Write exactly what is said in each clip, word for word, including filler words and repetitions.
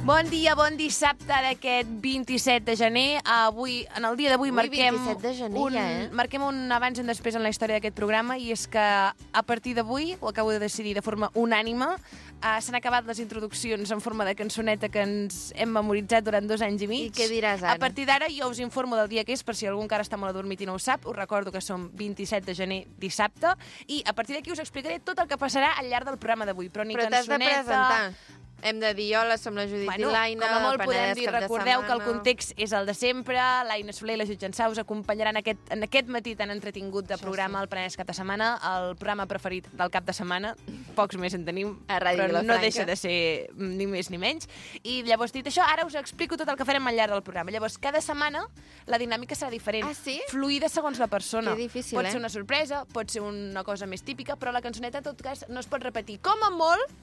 Bon dia, bon dissabte d'aquest vint-i-set de gener. Avui, en el dia d'avui, marquem, de gener, un, ja, eh? marquem un abans i un després en la història d'aquest programa, i és que a partir d'avui, ho acabo de decidir de forma unànime, uh, s'han acabat les introduccions en forma de cançoneta que ens hem memoritzat durant dos anys i mig. I què diràs ara? A partir d'ara jo us informo del dia que és, per si algú encara està molt adormit i no ho sap. Us recordo que som vint-i-set de gener, dissabte, i a partir d'aquí us explicaré tot el que passarà al llarg del programa d'avui. Però ni Però t'has de cançoneta... presentar. Hem de dir hola, som la Judit Bueno, i l'Aina, com a molt podem dir, cap de recordeu que el setmana. context és el de sempre. L'Aina Soler i la Judit Jansà us acompanyaran aquest, en aquest matí tan entretingut de Això programa, sí. el Penedès cap de setmana, el programa preferit del cap de setmana. Pocs més en tenim, A Ràdio però no Vilafranca. deixa de ser ni més ni menys. I llavors, dit això, ara us explico tot el que farem al llarg del programa. Llavors, cada setmana la dinàmica serà diferent. Ah, sí? Fluida segons la persona. Que difícil, pot eh? ser una sorpresa, pot ser una cosa més típica, però la cançoneta, en tot cas, no es pot repetir. Com a molt,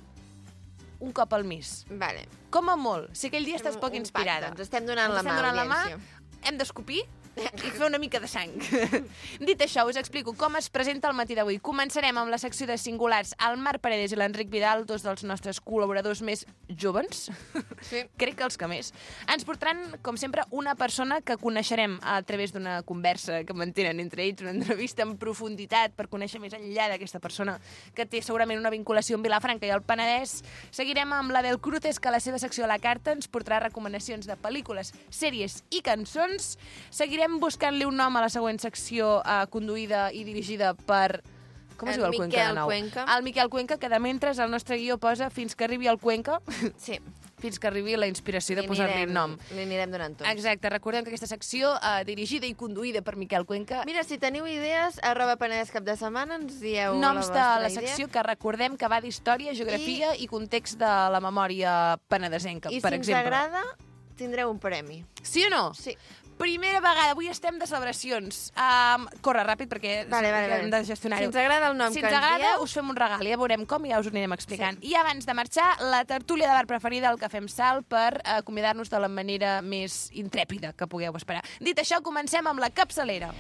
un cop al mes. Vale. Com a molt. Si aquell dia estàs Un- poc un inspirada. pacte, ens estem donant Ens la estem mà, donant la mà, audiència. hem d'escopir i fer una mica de sang. Dit això, us explico com es presenta el matí d'avui. Començarem amb la secció de singulars. El Marc Paredes i l'Enric Vidal, dos dels nostres col·laboradors més jóvens, Sí. crec que els que més, ens portaran, com sempre, una persona que coneixerem a través d'una conversa que mantenen entre ells, una entrevista en profunditat per conèixer més enllà d'aquesta persona que té segurament una vinculació amb Vilafranca i el Penedès. Seguirem amb l'Abel Cruces, que a la seva secció a la carta ens portarà recomanacions de pel·lícules, sèries i cançons. Seguirem buscant-li un nom a la següent secció, eh, conduïda i dirigida per... Com es En diu el Cuenca de Miquel nou? Cuenca. El Miquel Cuenca, que de mentre el nostre guió posa fins que arribi el Cuenca, Sí. fins que arribi la inspiració de Li posar-li anirem- nom. Li anirem donant tots. Exacte, recordem que aquesta secció, eh, dirigida i conduïda per Miquel Cuenca, Mira, si teniu idees, arroba Penedès cap de setmana, ens dieu noms la de vostra la idea. secció que recordem que va d'història, geografia i... i context de la memòria penedesenca, I per si ens exemple. agrada, tindreu un premi. Sí o no? Sí. Primera vegada, avui estem de celebracions. Um, corre ràpid perquè Vale, vale, que hem de vale. gestionar-ho. Si ens agrada el nom si que ens ens agrada, dieu... us fem un regal, ja veurem com i ja us ho anirem explicant. Sí. I abans de marxar, la tertúlia de bar preferida, el que fem salt per eh, acomiadar-nos de la manera més intrèpida que pugueu esperar. Dit això, comencem amb la capçalera.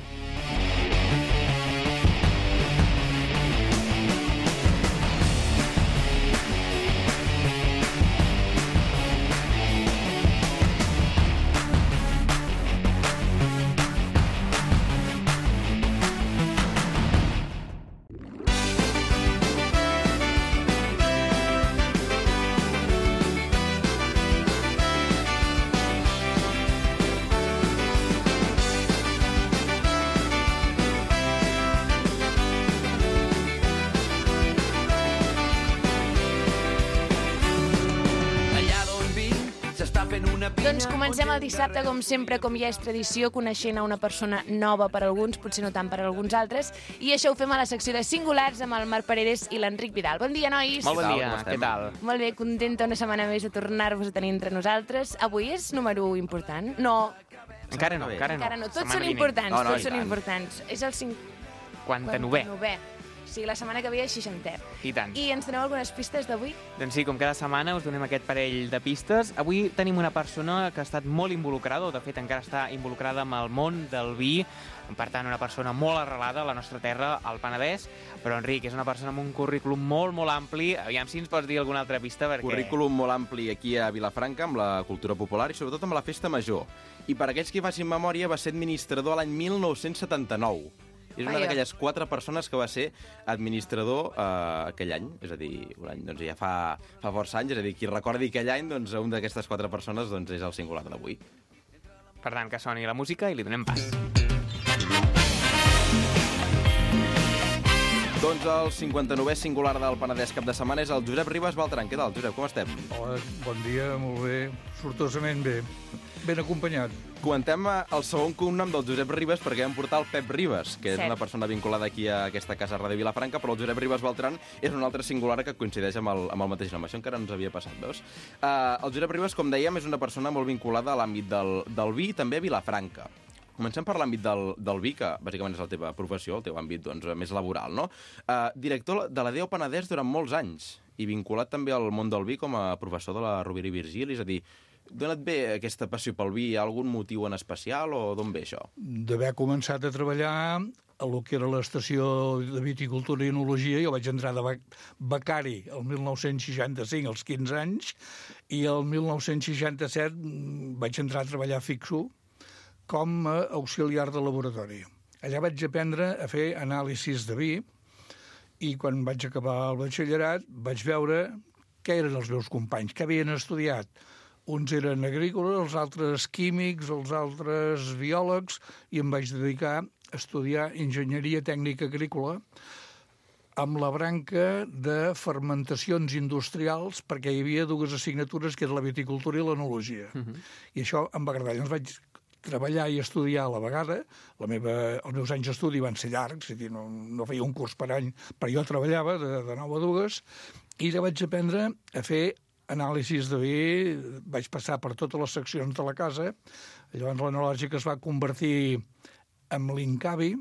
Doncs comencem el dissabte, com sempre, com ja és tradició, coneixent a una persona nova per alguns, potser no tant per alguns altres, i això ho fem a la secció de singulars amb el Marc Paredes i l'Enric Vidal. Bon dia, nois! Molt bon Què tal, dia, com estem? què tal? Molt bé, contenta una setmana més de tornar-vos a tenir entre nosaltres. Avui és número u important? No, Encara no, bé. encara no. encara no. Tots Setmana són vinent. importants, No, no, tots i són tant. importants. És el cinquanta-novè. quaranta-novè. O sigui, la setmana que ve és seixantè. I tant. I ens doneu algunes pistes d'avui? Doncs sí, com cada setmana us donem aquest parell de pistes. Avui tenim una persona que ha estat molt involucrada, o de fet encara està involucrada amb el món del vi, per tant una persona molt arrelada a la nostra terra, al Penedès, però Enric és una persona amb un currículum molt, molt ampli. Aviam si ens pots dir alguna altra pista, perquè... Currículum molt ampli aquí a Vilafranca, amb la cultura popular i sobretot amb la festa major. I per aquells que facin memòria, va ser administrador l'any mil nou-cents setanta-nou. És una Vaja. d'aquelles quatre persones que va ser administrador eh, aquell any, és a dir, un any, doncs ja fa, fa força anys, és a dir, qui recordi aquell any, doncs un d'aquestes quatre persones doncs, és el singular d'avui. Per tant, que soni la música i li donem pas. Doncs el cinquanta-novè singular del Penedès cap de setmana és el Josep Ribas Beltran. Què tal, Josep? Com estem? Hola, bon dia, molt bé, sortosament bé, ben acompanyat. Comentem eh, el segon cognom del Josep Ribas perquè vam portar el Pep Ribas, que és Cert. una persona vinculada aquí a aquesta casa Ràdio Vilafranca, però el Josep Ribas Beltran és un altre singular que coincideix amb el, amb el mateix nom. Això encara no ens havia passat, veus? Uh, el Josep Ribas, com dèiem, és una persona molt vinculada a l'àmbit del, del vi i també a Vilafranca. Comencem per l'àmbit del, del vi, que bàsicament és la teva professió, el teu àmbit doncs, més laboral, no? Uh, director de la D E O Penedès durant molts anys i vinculat també al món del vi com a professor de la Rovira i Virgili, és a dir, d'on et ve aquesta passió pel vi? Hi ha algun motiu en especial o d'on ve això? D'haver començat a treballar a lo que era l'estació de viticultura i enologia. Jo vaig entrar de becari el mil nou-cents seixanta-cinc, als quinze anys, i el mil nou-cents seixanta-set vaig entrar a treballar fixo com a auxiliar de laboratori. Allà vaig aprendre a fer anàlisis de vi i quan vaig acabar el batxillerat vaig veure què eren els meus companys, què havien estudiat. Uns eren agrícoles, els altres químics, els altres biòlegs, i em vaig dedicar a estudiar enginyeria tècnica agrícola amb la branca de fermentacions industrials, perquè hi havia dues assignatures, que era la viticultura i l'enologia. Uh-huh. I això em va agradar. Llavors vaig treballar i estudiar a la vegada. La meva, els meus anys d'estudi van ser llargs, és a dir, no, no feia un curs per any, però jo treballava de, de nou a dues, i ja vaig aprendre a fer anàlisis de vi, vaig passar per totes les seccions de la casa. Llavors l'enològica es va convertir en l'Incavi,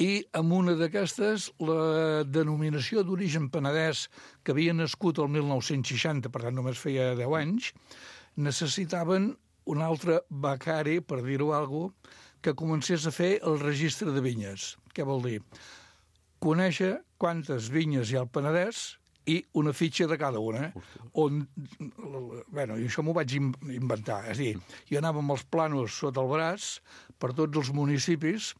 i amb una d'aquestes, la denominació d'origen penedès, que havia nascut el mil nou-cents seixanta, per tant només feia deu anys, necessitaven un altre becari, per dir-ho alguna cosa, que comencés a fer el registre de vinyes. Què vol dir? Conèixer quantes vinyes hi ha al Penedès i una fitxa de cada una. On, bueno, i això m'ho vaig inventar. És a dir, jo anava amb els planos sota el braç per tots els municipis,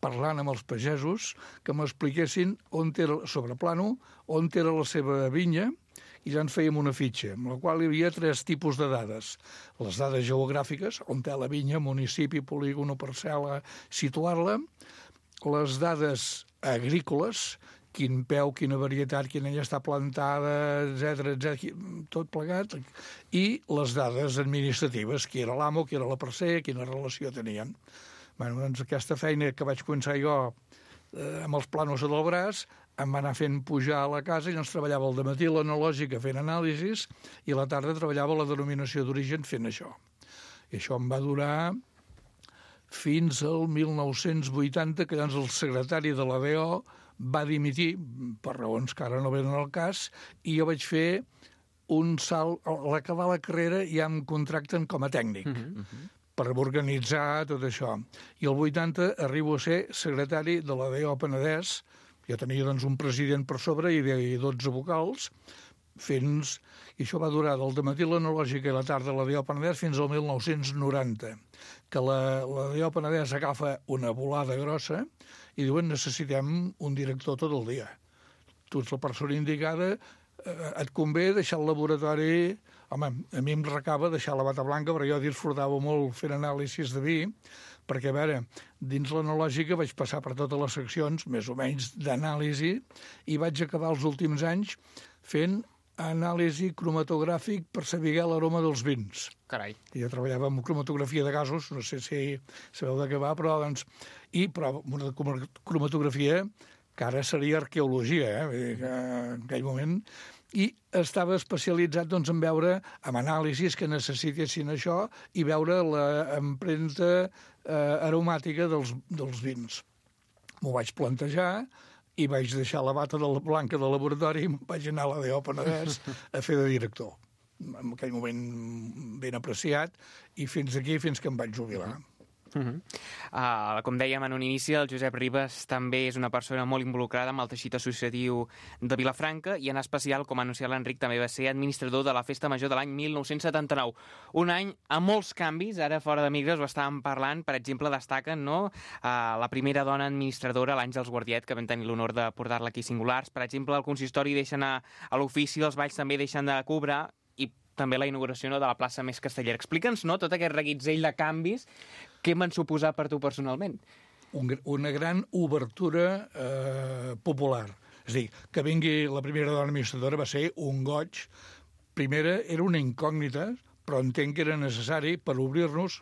parlant amb els pagesos, que m'expliquessin on era, sobre plano, on era la seva vinya, i ja ens fèiem una fitxa, amb la qual hi havia tres tipus de dades. Les dades geogràfiques, on té la vinya, municipi, polígon o parcel·la, situar-la. Les dades agrícoles, quin peu, quina varietat, quina ja està plantada, etcètera, etcètera, tot plegat. I les dades administratives, qui era l'amo, qui era la parcer, quina relació tenien. Bé, doncs aquesta feina que vaig començar jo eh, amb els planos del braç, em va anar fent pujar a la casa i ens treballava el dematí l'enològica fent anàlisis i a la tarda treballava la denominació d'origen fent això. I això em va durar fins al mil nou-cents vuitanta, que llavors el secretari de la D O va dimitir, per raons que ara no venen al cas, i jo vaig fer un salt. A l'acabar la carrera ja em contracten com a tècnic. Uh-huh, uh-huh. Per organitzar tot això. I el vuitanta arribo a ser secretari de la D O Penedès. Jo tenia doncs, un president per sobre i dotze vocals, fins... i això va durar del dematí l'enològica i la tarda la D O Penedès fins al mil nou-cents noranta, que la, la D O Penedès agafa una volada grossa i diuen necessitem un director tot el dia. Tu ets la persona indicada, eh, et convé deixar el laboratori... Home, a mi em recava deixar la bata blanca, però jo disfrutava molt fent anàlisis de vi, perquè, a veure, dins l'enològica vaig passar per totes les seccions, més o menys, d'anàlisi, i vaig acabar els últims anys fent anàlisi cromatogràfic per saber l'aroma dels vins. Carai. I jo treballava amb cromatografia de gasos, no sé si sabeu de què va, però, doncs... I, però, una cromatografia que ara seria arqueologia, eh? Vull dir que en aquell moment... I estava especialitzat doncs, en veure, amb anàlisis que necessitessin això, i veure l'empremta eh, aromàtica dels, dels vins. M'ho vaig plantejar i vaig deixar la bata de la blanca del laboratori i vaig anar a la D O Penedès a fer de director. En aquell moment ben apreciat, i fins aquí, fins que em vaig jubilar. Uh-huh. Uh, com dèiem en un inici, el Josep Ribas també és una persona molt involucrada amb el teixit associatiu de Vilafranca i en especial, com ha anunciat l'Enric, també va ser administrador de la Festa Major de l'any mil nou-cents setanta-nou. Un any amb molts canvis, ara fora de micros ho estàvem parlant, per exemple, destaquen no? uh, la primera dona administradora, l'Àngels Guardiet, que vam tenir l'honor de portar-la aquí singulars. Per exemple, el consistori deixa anar a l'ofici, els balls també deixen de cobrar, i també la inauguració no, de la plaça Més Castellera. Explica'ns no, tot aquest reguitzell de canvis. Què m'han suposat per tu personalment? Un, una gran obertura eh, popular. És a dir, que vingui la primera dona administradora va ser un goig. Primera era una incògnita, però entenc que era necessari per obrir-nos.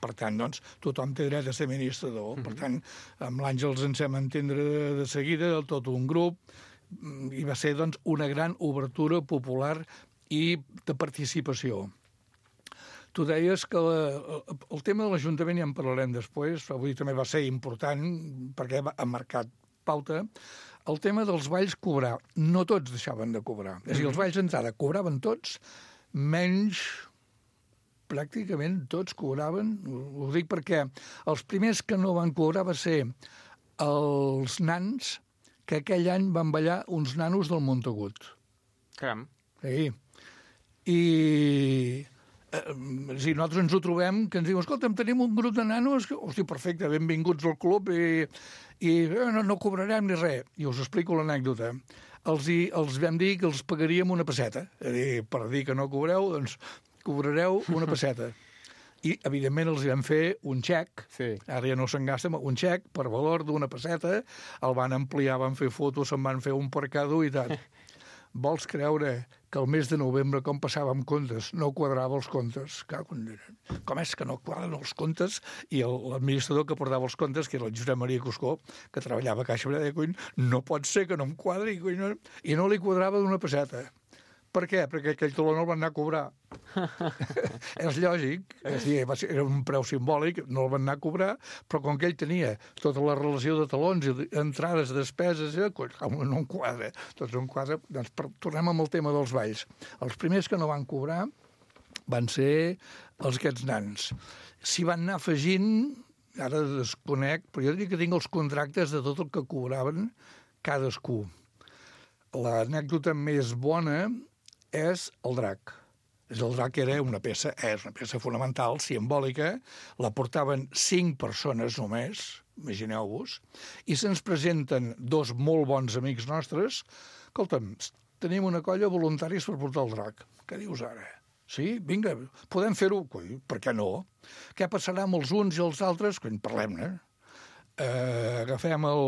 Per tant, doncs, tothom té dret a ser administrador. Mm-hmm. Per tant, amb l'Àngels ens hem entendre de seguida, tot un grup, i va ser doncs, una gran obertura popular i de participació. Tu deies que la, el tema de l'Ajuntament, ja en parlarem després, avui també va ser important perquè ha marcat pauta, el tema dels balls cobrar. No tots deixaven de cobrar. És a dir, els balls d'entrada cobraven tots, menys pràcticament tots cobraven. Ho dic perquè els primers que no van cobrar va ser els nans que aquell any van ballar uns nanos del Montagut. Caram. Sí. I eh, si nosaltres ens ho trobem, que ens diuen, escolta'm, tenim un grup de nanos, que, hosti, perfecte, benvinguts al club i, i eh, no, no cobrarem ni res. I us explico l'anècdota. Els, hi, els vam dir que els pagaríem una pesseta. És a dir, per dir que no cobreu, doncs cobrareu una pesseta. I, evidentment, els vam fer un xec, Sí. ara ja no se'n gasta, un xec per valor d'una pesseta, el van ampliar, van fer fotos, se'n van fer un percador i tal. Vols creure que el mes de novembre, com passàvem comptes, no quadrava els comptes? Com és que no quadren els comptes? I l'administrador que portava els comptes, que era el Josep Maria Cuscó, que treballava a Caixa Breda, no pot ser que no em quadri, i no li quadrava d'una pesseta. Per què? Perquè aquell taló no el van anar a cobrar. És lògic, és dir, era un preu simbòlic, no el van anar a cobrar, però com que ell tenia tota la relació de talons, entrades, despeses, eh, no em quadra, tot no em quadra, doncs per, tornem amb el tema dels balls. Els primers que no van cobrar van ser els aquests nans. S'hi van anar afegint, ara desconec, però jo diria que tinc els contractes de tot el que cobraven cadascú. L'anècdota més bona és el drac. El drac era una peça, és una peça fonamental, simbòlica, la portaven cinc persones només, imagineu-vos, i se'ns presenten dos molt bons amics nostres. Escolta'm, tenim una colla de voluntaris per portar el drac. Què dius ara? Sí? Vinga, podem fer-ho? Per què no? Què passarà amb els uns i els altres? Quan parlem-ne. Eh, agafem el...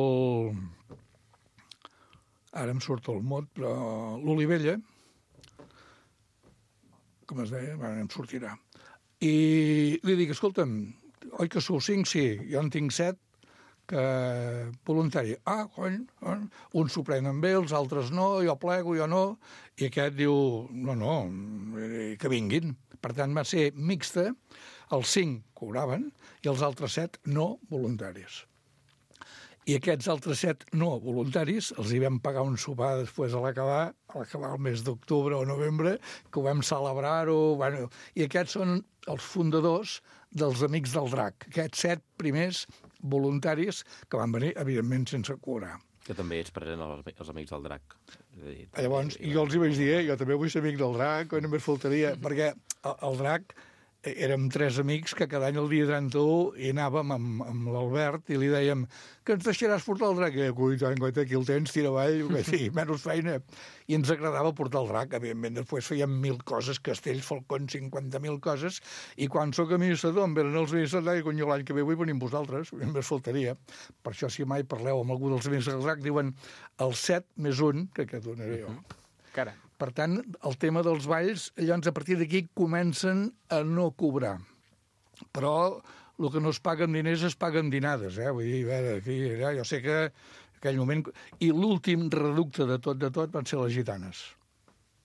Ara em surt el mot, però l'Olivella, com es deia, bueno, em sortirà. I li dic, escolta'm, oi que sou cinc? Sí, jo en tinc set que voluntari. Ah, cony, eh? Uns s'ho prenen bé, els altres no, jo plego, jo no. I aquest diu, no, no, que vinguin. Per tant, va ser mixta, els cinc cobraven i els altres set no voluntaris. I aquests altres set no voluntaris els hi vam pagar un sopar després a l'acabar, a l'acabar el mes d'octubre o novembre, que ho vam celebrar-ho. Bueno, i aquests són els fundadors dels Amics del Drac. Aquests set primers voluntaris que van venir, evidentment, sense cobrar. Que també ets present als, als Amics del Drac. Dir, Llavors, i jo els hi vaig dir, eh, jo també vull ser amic del Drac, o només faltaria, perquè el, el Drac... Érem tres amics que cada any el dia trenta-u hi anàvem amb, amb l'Albert i li dèiem que ens deixaràs portar el drac. I ui, tant, guaita, aquí el tens, tira avall, sí, menys feina. I ens agradava portar el drac, evidentment. Després fèiem mil coses, castells, falcons, cinquanta mil coses, i quan sóc administrador em venen els administradors i conyo l'any que ve vull venir amb vosaltres, només faltaria. Per això, si mai parleu amb algú dels amics del drac, diuen el set més un, que aquest un era jo. Caram. Per tant, el tema dels balls, llavors a partir d'aquí comencen a no cobrar. Però el que no es paga amb diners es paga amb dinades, eh? Vull dir, a veure, aquí, ja, jo sé que en aquell moment... I l'últim reducte de tot de tot van ser les gitanes.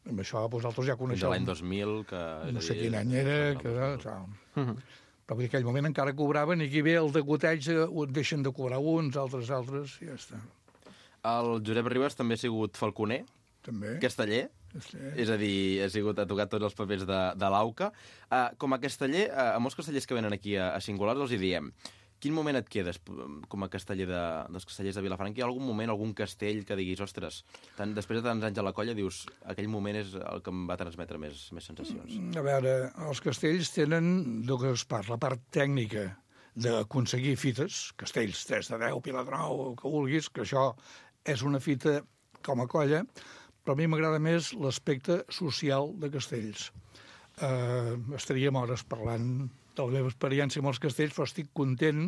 Amb això vosaltres ja coneixeu. Fins a l'any dos mil, que... No sé quin any era, que... Tal. Però vull dir, en aquell moment encara cobraven i aquí ve el degoteig, deixen de cobrar uns, altres, altres, i ja està. El Josep Ribas també ha sigut falconer, també. casteller, Sí. és a dir, ha, sigut, ha tocat tots els papers de, de l'Auca. Uh, com a casteller, uh, a molts castellers que venen aquí a, a Singulars els hi diem, quin moment et quedes com a casteller de, dels castellers de Vilafranca? Hi ha algun moment, algun castell que diguis, ostres, tant, després de tants anys a la colla, dius, aquell moment és el que em va transmetre més, més sensacions? A veure, els castells tenen, del que es parla, la part tècnica d'aconseguir fites, castells tres de deu, Pilar de nou, el que vulguis, que això és una fita com a colla, però a mi m'agrada més l'aspecte social de castells. Eh, estaríem hores parlant de la meva experiència amb els castells, però estic content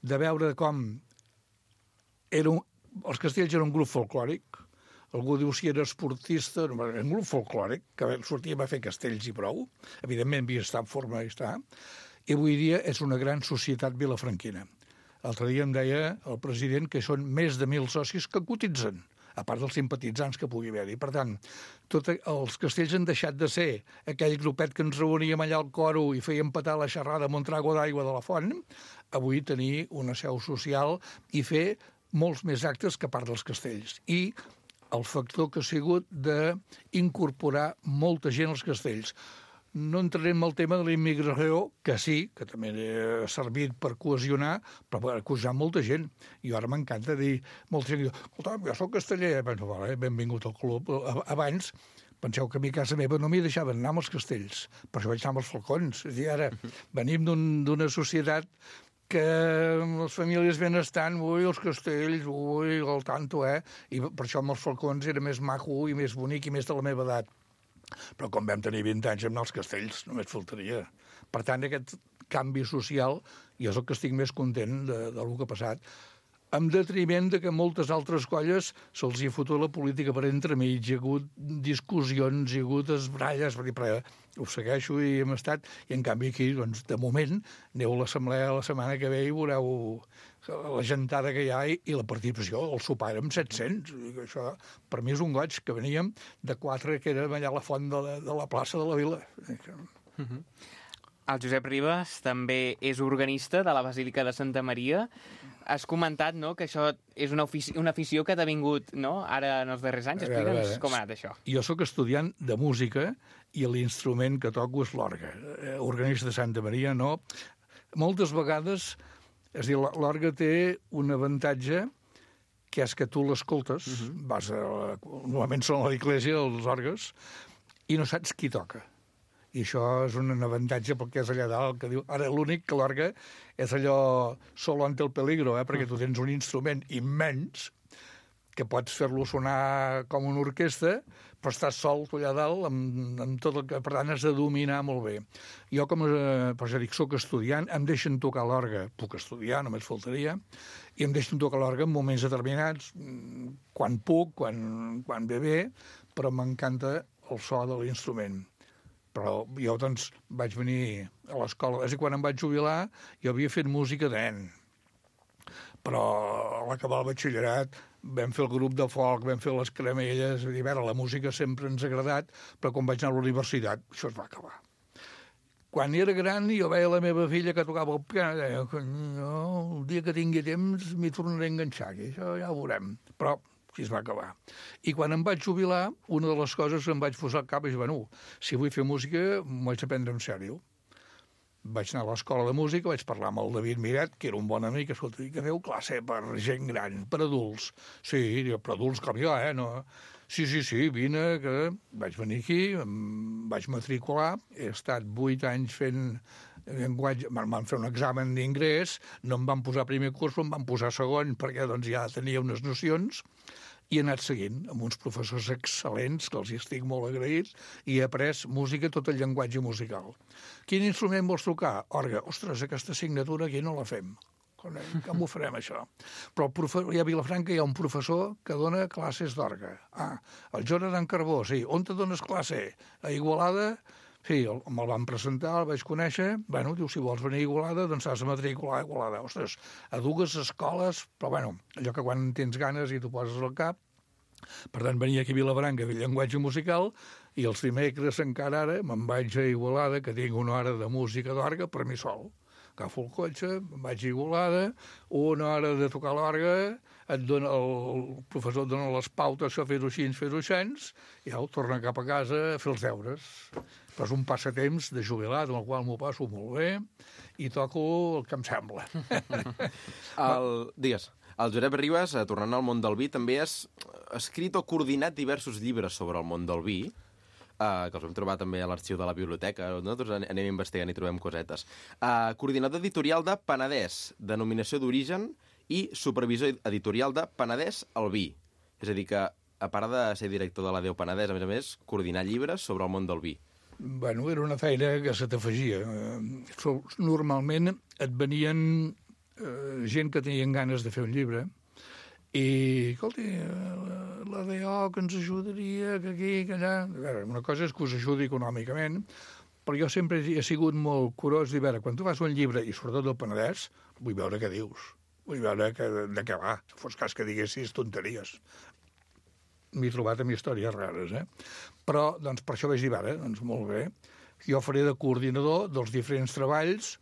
de veure com era un... els castells eren un grup folclòric. Algú diu si era esportista, no, era un grup folclòric, que sortíem a fer castells i prou. Evidentment havia estat en forma i està. I avui dia és una gran societat vilafranquina. L'altre dia em deia el president que són més de mil socis que cotitzen, a part dels simpatitzants que pugui haver-hi. Per tant, tot els castells han deixat de ser aquell grupet que ens reuníem allà al coro i fèiem petar la xerrada amb un trago d'aigua de la font, avui tenir una seu social i fer molts més actes que a part dels castells. I el factor que ha sigut d'incorporar molta gent als castells. No entrarem en el tema de la immigració, que sí, que també ha servit per cohesionar, però per cohesionar molta gent. I ara m'encanta dir, molta gent diu, escolta, jo soc casteller, doncs, vale, benvingut al club. Abans, penseu que a mi a casa meva no m'hi deixaven anar amb els castells, per això vaig anar amb els falcons. És a dir, ara venim d'una societat que les famílies benestants, ui, els castells, ui, el tanto, eh? I per això amb els falcons era més maco i més bonic i més de la meva edat. Però com vam tenir vint anys amb els castells, només faltaria. Per tant, aquest canvi social, jo és el que estic més content de, de lo que ha passat, en detriment de que moltes altres colles se'ls hi ha fotut la política per entremig, hi ha hagut discussions, hi ha hagut esbralles, per dir, però ho segueixo i hem estat, i en canvi aquí, doncs, de moment, aneu a l'assemblea la setmana que ve i veureu la gentada que hi ha i, i la participació, el sopar érem set-cents. Això, per mi és un goig, que veníem de quatre, que érem allà a la font de la, de la plaça de la Vila. Uh-huh. El Josep Ribas també és organista de la Basílica de Santa Maria. Has comentat, no?, que això és una, ofici una afició que t'ha vingut, no?, ara en els darrers anys. Explica'ns com ha anat això. Jo sóc estudiant de música i l'instrument que toco és l'orgue. Organista de Santa Maria, no. Moltes vegades, és a dir, l'orgue té un avantatge que és que tu l'escoltes, uh-huh. vas a la, normalment són a l'església, els orgues, i no saps qui toca. I això és un avantatge perquè és allà dalt, que diu... Ara, l'únic que l'orgue és allò solo ante el peligro, eh? Perquè tu tens un instrument immens que pots fer-lo sonar com una orquestra, però estàs sol allà dalt amb, amb tot el que, per tant, has de dominar molt bé. Jo, com a, per això dic, soc estudiant, em deixen tocar l'orgue, puc estudiar, només faltaria, i em deixen tocar l'orgue en moments determinats, quan puc, quan, quan ve bé, però m'encanta el so de l'instrument. Però jo, doncs, vaig venir a l'escola, és a dir, quan em vaig jubilar, jo havia fet música de nen, però a l'acabar el batxillerat vam fer el grup de folk, vam fer les caramelles, a dir, a veure, la música sempre ens ha agradat, però quan vaig anar a la universitat, això es va acabar. Quan era gran, jo veia la meva filla que tocava el piano, i deia, no, el dia que tingui temps m'hi tornaré a enganxar, que això ja ho veurem. Però així es va acabar. I quan em vaig jubilar, una de les coses que em vaig posar al cap és, bueno, si vull fer música, m'ho haig de prendre en sèrio. Vaig anar a l'escola de música, vaig parlar amb el David Miret, que era un bon amic, escolta, que feu classe per gent gran, per adults. Sí, per adults com jo, eh? No. Sí, sí, sí, vine, que vaig venir aquí, em vaig matricular, he estat vuit anys fent llenguatge, m'han fet un examen d'ingrés, no em van posar primer curs, però em van posar segon, perquè doncs ja tenia unes nocions, i he anat seguint amb uns professors excel·lents, que els hi estic molt agraït, i he après música, tot el llenguatge musical. Quin instrument vols tocar? Orgue. Ostres, aquesta assignatura aquí no la fem. Com ho farem, això? Però a Vilafranca hi ha un professor que dona classes d'orgue. Ah, el Jonathan Carbó, sí. On te dones classe? A Igualada? Sí, me'l van presentar, el vaig conèixer. Bueno, diu, si vols venir a Igualada, doncs has de matricular a Igualada. Ostres, a dues escoles, però bueno, allò que quan tens ganes i t'ho poses al cap. Per tant, venia aquí a Vilafranca a fer llenguatge musical i els dimecres encara ara me'n vaig a Igualada, que tinc una hora de música d'orgue per mi sol. Agafo el cotxe, me'n vaig a Igualada, una hora de tocar l'orgue, et dona, el professor et dona les pautes, això fer-ho així, fer-ho així, i ja ho torna cap a casa a fer els deures. Però és un passatemps de jubilat, en el qual m'ho passo molt bé, i toco el que em sembla. El... Digues. El Josep Ribas, tornant al món del vi, també has escrit o coordinat diversos llibres sobre el món del vi, uh, que els vam trobar també a l'arxiu de la biblioteca. Nosaltres anem investigant i trobem cosetes. Uh, coordinador editorial de Penedès, denominació d'origen, i supervisor editorial de Penedès al vi. És a dir, que a part de ser director de la Déu Penedès, a més a més, coordinar llibres sobre el món del vi. Bueno, era una feina que se t'afegia. Normalment et venien Uh, gent que tenien ganes de fer un llibre i, escolti, uh, la D O que ens ajudaria, que aquí, que allà... A veure, una cosa és que us ajudi econòmicament, però jo sempre he sigut molt curós de veure, quan tu fas un llibre, i sobretot del Penedès, vull veure què dius, vull veure que, de què va, si fos cas que diguessis tonteries. M'he trobat amb històries rares, eh? Però, doncs, per això vaig dir, ara, doncs, molt bé, jo faré de coordinador dels diferents treballs,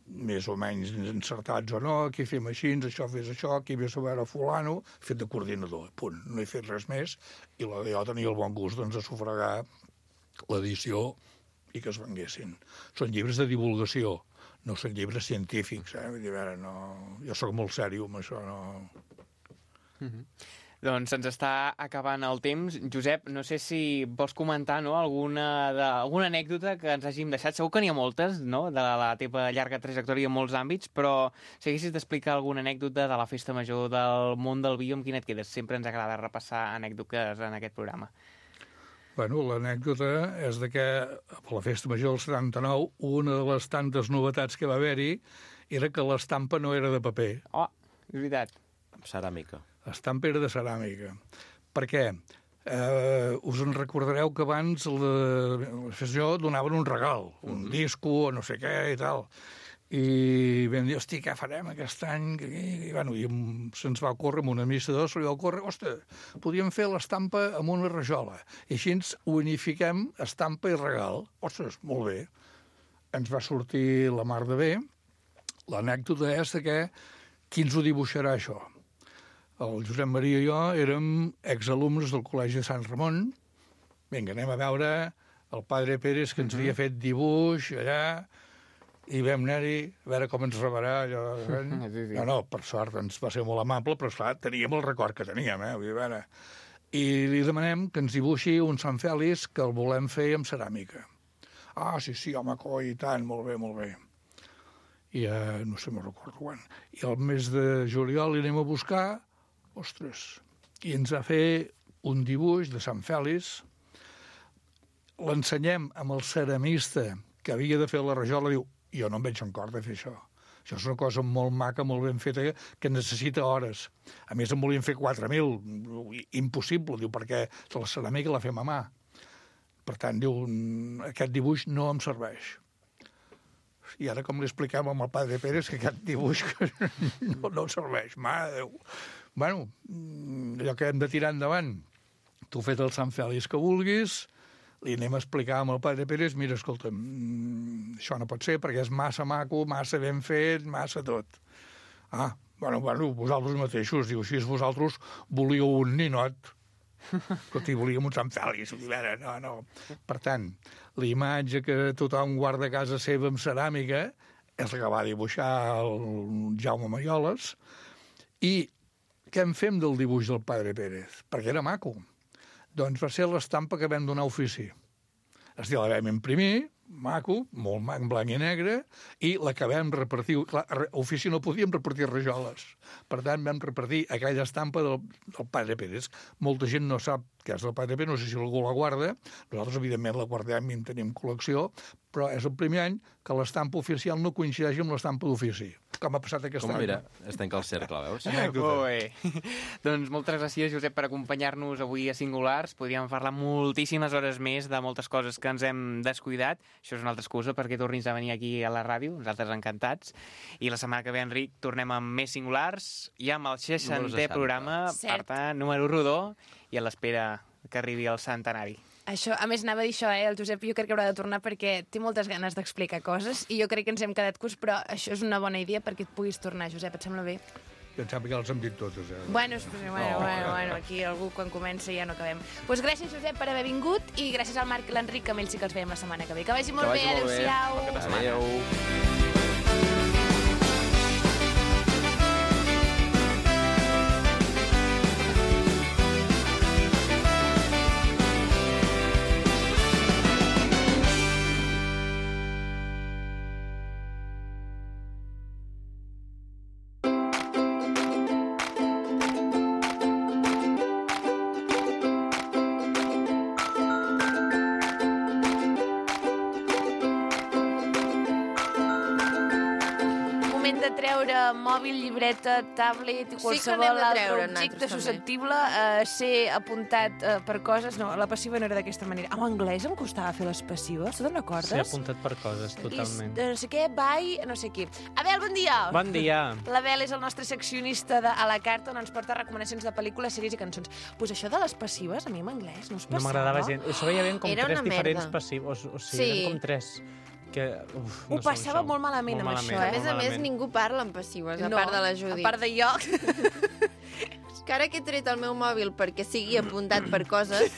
més o menys encertats o no, aquí fem així, això fes això, aquí ves a veure fulano, fet de coordinador, punt, no he fet res més, i la, jo tenia el bon gust doncs, de sufragar l'edició i que es venguessin. Són llibres de divulgació, no són llibres científics. Eh? Vull dir, a veure, no... Jo sóc molt sèrio amb això, no... Mm-hmm. Doncs se'ns està acabant el temps. Josep, no sé si vols comentar, no, alguna, de, alguna anècdota que ens hàgim deixat. Segur que n'hi ha moltes, no?, de la teva llarga trajectòria en molts àmbits, però si haguessis d'explicar alguna anècdota de la festa major del món del vi, amb quina et quedes? Sempre ens agrada repassar anècdotes en aquest programa. Bueno, l'anècdota és de que a la festa major del setanta-nou una de les tantes novetats que va haver-hi era que l'estampa no era de paper. Oh, és veritat. Amb ceràmica. L'estampa era de ceràmica. Per què? Eh, us en recordareu que abans la, la festa major donaven un regal, un mm-hmm. disco o no sé què i tal. I vam dir, hosti, què farem aquest any? I, i, bueno, i se'ns va ocórrer amb un administrador, se li va ocórrer, ostres, podríem fer l'estampa amb una rajola. I així ens unifiquem estampa i regal. Ostres, molt bé. Ens va sortir la mar de bé. L'anècdota és que qui ens ho dibuixarà, això? El Josep Maria i jo érem exalumnes del Col·legi de Sant Ramon. Vinga, anem a veure el padre Pérez, que ens havia fet dibuix allà, i vam anar-hi a veure com ens rebarà allò. No, no, per sort ens va ser molt amable, però esclar, teníem el record que teníem, eh? Vull dir, a veure. I li demanem que ens dibuixi un Sant Fèlix que el volem fer amb ceràmica. Ah, sí, sí, home, coi, i tant, molt bé, molt bé. I eh, no sé, me'n recordo quan. I al mes de juliol li anem a buscar, ostres, i ens va fer un dibuix de Sant Fèlix. L'ensenyem amb el ceramista que havia de fer la rajola, diu, jo no em veig en cor de fer això. Això és una cosa molt maca, molt ben feta, que necessita hores. A més, en volien fer quatre mil. Impossible, diu, perquè la ceràmica la fem a mà. Per tant, diu, aquest dibuix no em serveix. I ara com li expliquem amb el padre Pérez que aquest dibuix no, no serveix. Mare de Déu. Bueno, allò que hem de tirar endavant. Tu fet el Sant Fèlix que vulguis, li anem a explicar amb el padre Pérez, mira, escolta'm, això no pot ser perquè és massa maco, massa ben fet, massa tot. Ah, bueno, bueno, vosaltres mateixos, diu, així vosaltres volíeu un ninot. Escolta, volíem un Sant Fèlix. No, no. Per tant, la imatge que tothom guarda a casa seva amb ceràmica és la que va dibuixar el Jaume Maioles. I què en fem del dibuix del padre Pérez? Perquè era maco. Doncs va ser l'estampa que vam donar a ofici. És a dir, la vam imprimir, maco, molt mac, blanc i negre, i la que vam repartir... Clar, a ofici no podíem repartir rajoles. Per tant, vam repartir aquella estampa del, del padre Pérez. Molta gent no sap què és el padre Pérez, no sé si algú la guarda. Nosaltres, evidentment, la guardem i en tenim col·lecció, però és el primer any que l'estampa oficial no coincideix amb l'estampa d'ofici. Com ha passat aquest Com, any. mira, es tanca el cercle, veus? Molt bé. Doncs moltes gràcies, Josep, per acompanyar-nos avui a Singulars. Podríem parlar moltíssimes hores més de moltes coses que ens hem descuidat. Això és una altra excusa perquè tornis a venir aquí a la ràdio. Nosaltres encantats. I la setmana que ve, Enric, tornem amb més Singulars i amb el seixantè programa, Cert. per tant, número rodó, i a l'espera que arribi el centenari. Això, a més, anava a dir això, eh? El Josep jo crec que haurà de tornar perquè té moltes ganes d'explicar coses i jo crec que ens hem quedat curts, però això és una bona idea perquè et puguis tornar, Josep, et sembla bé? Jo em sembla que els hem dit totes, eh? Bueno, bueno, No. bueno, bueno, aquí algú quan comença ja no acabem. Doncs pues gràcies, Josep, per haver vingut i gràcies al Marc i l'Enric, que amb ells sí que els veiem la setmana que ve. Que vagi molt Que bé, vagi molt bé. adéu-siau. Bon cap de setmana. Adéu. treure mòbil, llibreta, tablet i Sí que qualsevol n'hem de altre treure, objecte nosaltres, també. susceptible a ser apuntat eh, per coses. No, la passiva no era d'aquesta manera. En anglès em costava fer les passives, tu te'n recordes? Ser apuntat per coses, totalment. I, no sé què, bye, no sé qui. Abel, bon dia! Bon dia! L'Abel és el nostre seccionista de A la Carta, on ens porta recomanacions de pel·lícules, sèries i cançons. Pues això de les passives, a mi en anglès no es passava. No m'agradava gens. Això veia ben com Era tres una diferents merda. passius. O, o sigui, Sí. eren com tres. Que, uf, Ho no sé, passava això. molt malament amb això, A eh? més a Molt més, malament. ningú parla en passives, a No, part de la Judit. A part de jo. Que ara que he tret el meu mòbil perquè sigui apuntat per coses,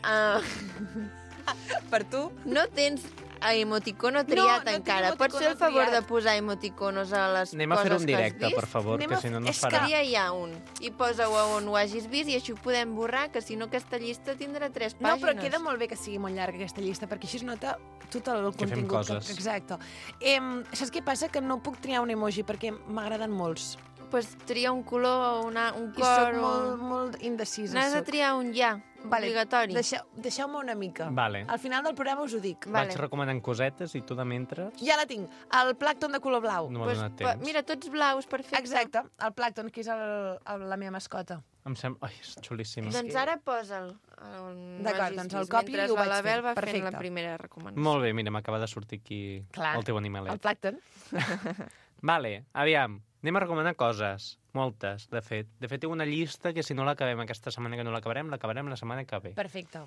uh, Per tu? no tens a emoticono triat no tinc encara. Pots fer el emoticono favor triat. de posar emoticonos a les Anem a fer coses un que has directe, vist? per favor, Anem que a si no no fer- es és que- farà. Tria ja un i posa-ho a on ho hagis vist i així ho podem borrar, que si no aquesta llista tindrà tres No, pàgines. però queda molt bé que sigui molt llarga aquesta llista, perquè així es nota tot el Que fem contingut. coses. Exacte. Em, saps què passa? Que no puc triar un emoji, perquè m'agraden molts. Pues tria un color, una, un I cor... soc o- molt, molt indecisa. N'has de soc. triar un ja, Vale, obligatori. Deixeu, deixeu-me una mica. Vale. Al final del programa us ho dic. Vale. Vaig recomanant cosetes i tu de mentre... Ja la tinc. El plàcton de color blau. No m'ha Pues, donat pa- temps. mira, tots blaus, perfecte. Exacte, el plàcton, que és el, el, la meva mascota. Em sembla... Ai, és xulíssim. Doncs ara posa'l. on D'acord, hagis doncs el vist, copio mentre i ho vaig l'Abel fent. va fent Perfecte. la primera recomanació. Molt bé, mira, m'acaba de sortir aquí Clar. el teu El animalet. plàcton. Vale, aviam, anem a recomanar coses. Moltes, de fet. De fet, tinc una llista que si no l'acabem aquesta setmana que no l'acabarem, l'acabarem la setmana que ve. Perfecte.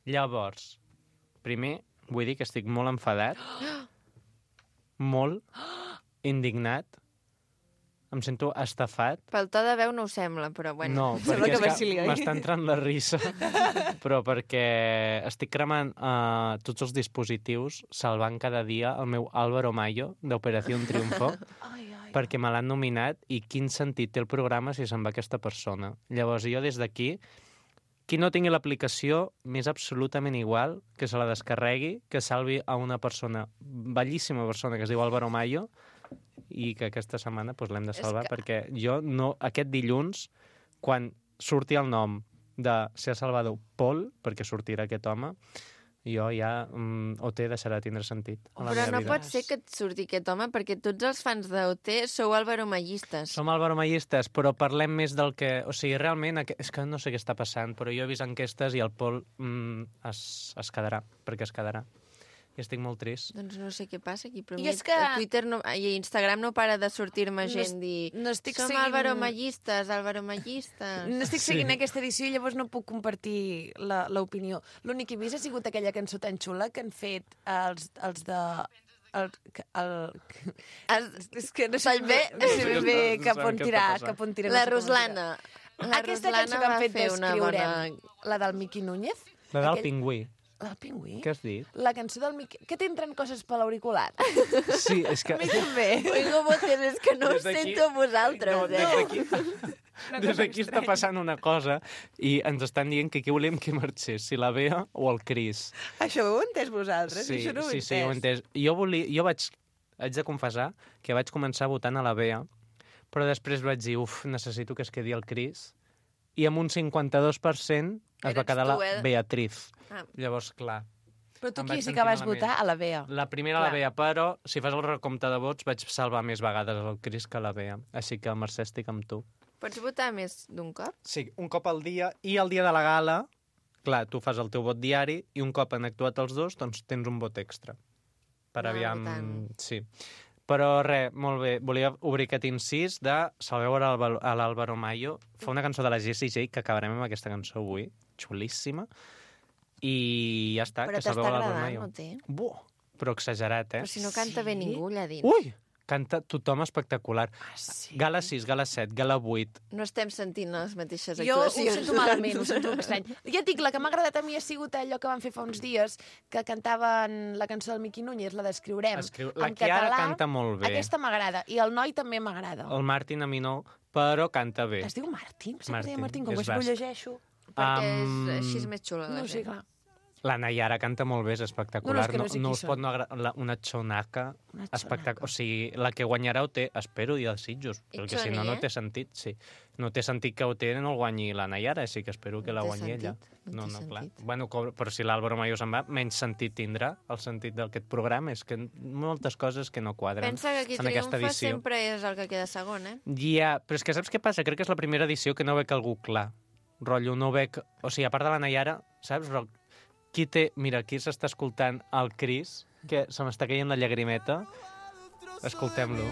Llavors, primer, vull dir que estic molt enfadat, molt indignat, em sento estafat. Pel to de veu no ho sembla, però bueno. No, Sembla perquè que és que vacili, oi? m'està entrant la risa, però perquè estic cremant uh, tots els dispositius, salvant cada dia el meu Álvaro Mayo d'Operació Triunfo, Ai, ai. perquè me l'han nominat i quin sentit té el programa si se'n va aquesta persona. Llavors jo des d'aquí, qui no tingui l'aplicació, m'és absolutament igual que se la descarregui, que salvi a una persona, bellíssima persona que es diu Álvaro Mayo, i que aquesta setmana doncs, l'hem de salvar, que- perquè jo no, aquest dilluns, quan surti el nom de ser Salvador Pol, perquè sortirà aquest home, jo ja mm, O T deixarà de tindre sentit a la Però meva no vida. pot ser que et surti aquest home, perquè tots els fans d'O T sou alvaromallistes. Som alvaromallistes, però parlem més del que... O sigui, realment, aqu- és que no sé què està passant, però jo he vist enquestes i el Pol mm, es, es quedarà, perquè es quedarà. I estic molt trist. Doncs no sé què passa aquí, però I a mi és que- a Twitter no, i a Instagram no para de sortir-me No gent es- dir no estic som seguint- alvaromallistes, alvaromallistes. No estic Sí. seguint aquesta edició i llavors no puc compartir la- l'opinió. L'únic que he vist ha sigut aquella cançó tan xula que han fet els, els de... El, el, Es- és que no sé Pel bé, bé- no sé No ben sé bé què està- cap no sé on què està tirar, passant. cap on tirar. La no sé com Ruslana. tirar. La Aquesta Ruslana cançó que han va fet fer una bona... d'Escriurem, la del Miqui Núñez. La del Aquell- pingüí. La del pingüí? Què has dit? La cançó del Miqui... Que t'entren coses per l'auricular? Sí, és que... A mi també. Oigo voces, és que no us Des d'aquí- sento a vosaltres, No, des eh? d'aquí... Des d'aquí està passant una cosa i ens estan dient que aquí volem que marxés, si la Bea o el Cris. Això ho heu entès vosaltres? Sí, Això no ho he sí, sí, ho he entès. Jo, volia, jo vaig, haig de confessar que vaig començar votant a la Bea, però després vaig dir, uf, necessito que es quedi el Cris, i amb un cinquanta-dos per cent es va Eres quedar tu, la eh? Beatriz. Ah. Llavors, clar, Però tu Em qui vaig sí sentir que vas malament. votar? A la Bea. la primera la Clar. Bea, però si fas el recompte de vots vaig salvar més vegades el Cris que la Bea. Així que, Mercè, estic amb tu. Pots votar més d'un cop? Sí, un cop al dia, i el dia de la gala, clar, tu fas el teu vot diari, i un cop han actuat els dos, doncs tens un vot extra. Per Ah, aviam... votant. Sí. Però res, molt bé, volia obrir aquest incís de Salveu a l'Alba- a l'Álvaro Mayo. Fa una cançó de la Jessie J, que acabarem amb aquesta cançó avui, xulíssima, i ja està, Però que t'està salveu a l'Álvaro agradant, Mayo. no té? Buah, però exagerat, eh? Però si no canta bé ningú allà dins. Ui! Canta tothom espectacular. Ah, sí? Gala sis, gala set, gala vuit. No estem sentint les mateixes Jo ho actuacions. sento malament, ho sento estrany. Ja et dic, la que m'ha agradat a mi ha sigut allò que van fer fa uns dies, que cantaven la cançó del Miqui Núñez, la d'Escriurem, Escriu... La en Chiara català. canta molt bé. Aquesta m'agrada, i el noi també m'agrada. El Martin a mi no, però canta bé. Es diu Martín? Sempre Martín, deia Martín, com és que això ho basc. llegeixo. Perquè Am, és, així és més xula la No sé, gent. clar. La Nayara canta molt bé, és espectacular. No, no, és que no sé no qui us pot són. no agradar una xonaca Una espectacular. xonaca. O sigui, la que guanyarà O T, espero, i els Sitges, I perquè si Choni, no, no eh? té sentit, sí. No té sentit que O T no el guanyi la Nayara, així que espero que No la té guanyi ella. sentit, no No, té no, clar. sentit. Bueno, co- però si l'Àlvaro Mayo se'n va, menys sentit tindrà el sentit d'aquest programa. És que moltes coses que no quadren Pensa que qui en aquesta triomfa edició. sempre és el que queda segon, eh? Ja, però és que saps què passa? Crec que és la primera edició que no veig algú clar. Rotllo, no veig... O sigui, a part de la Nayara, saps? Ro- Qui té... Mira, aquí s'està escoltant el Cris, que se m'està caient la llagrimeta. Escoltem-lo.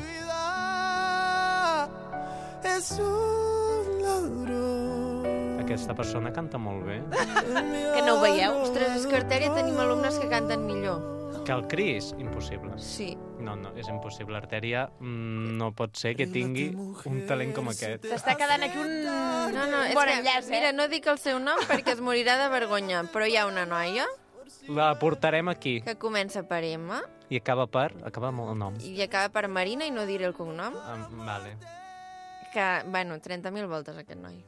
Es un ladrón. Aquesta persona canta molt bé. Que no ho veieu? Ostres, és que a Artèria tenim alumnes que canten millor. Que el Cris, impossible. Sí. No, no, és impossible. Artèria mm, no pot ser que tingui un talent com aquest. T'està quedant aquí un No, no, és bon que, enllaç, eh? mira, no dic el seu nom perquè es morirà de vergonya, però hi ha una noia La portarem aquí. que comença per M I acaba per... Acaba amb el nom. i acaba per Marina i no diré el cognom. Ah, vale. Que, bueno, trenta mil voltes aquest noi.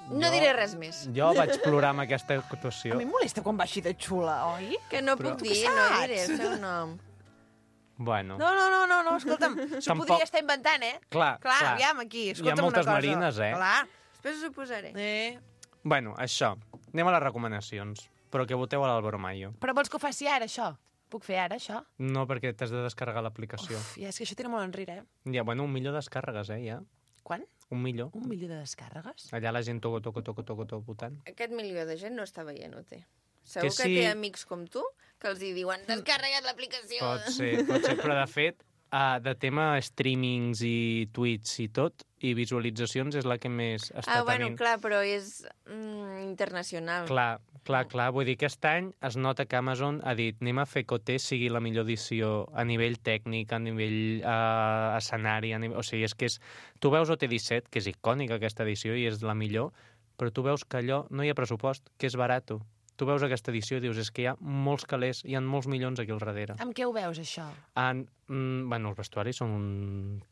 No Jo- diré res més. Jo vaig plorar amb aquesta A actuació. mi em molesta quan va així de xula, oi? Que no Però- puc dir, no diré el seu nom. Bueno, No, no, no, no, no escolta'm, s'ho Tampoc- podria estar inventant, eh? clar, Clar, clar. aviam, aquí, Hi ha escolta'm moltes una cosa. marines, eh? Clar. Després us ho posaré. Eh. Bueno, això. Anem a les recomanacions. Però que voteu a l'Álvaro Mayo. Però vols que ho faci ara, això? Puc fer ara, això? No, perquè t'has de descarregar l'aplicació. Uf, ja, és que això tira molt enrere, eh? Ja, bueno, un milió de descàrregues, eh, ja. Quan? Un milió. Un milió de descàrregues? Allà la gent toco, toco, toco, toco, toco, votant. Aquest milió de gent no està veient, ho té. Segur que, sí. té amics com tu que els hi diuen descarrega't l'aplicació. Pot ser, pot ser. Però, de fet, uh, de tema streamings i tuits i tot, i visualitzacions és la que més està Ah, bueno, tenint. clar, però és mm, internacional. Clar, clar, clar. Vull dir, aquest any es nota que Amazon ha dit anem a fer que O T sigui la millor edició a nivell tècnic, a nivell uh, escenari, a nivell... o sigui, és que és... Tu veus O T disset, que és icònica aquesta edició i és la millor, però tu veus que allò no hi ha pressupost, que és barato. Tu veus aquesta edició i dius, és que hi ha molts calés, hi ha molts milions aquí al darrere. Amb què ho veus, això? En, mm, bueno, els vestuaris són un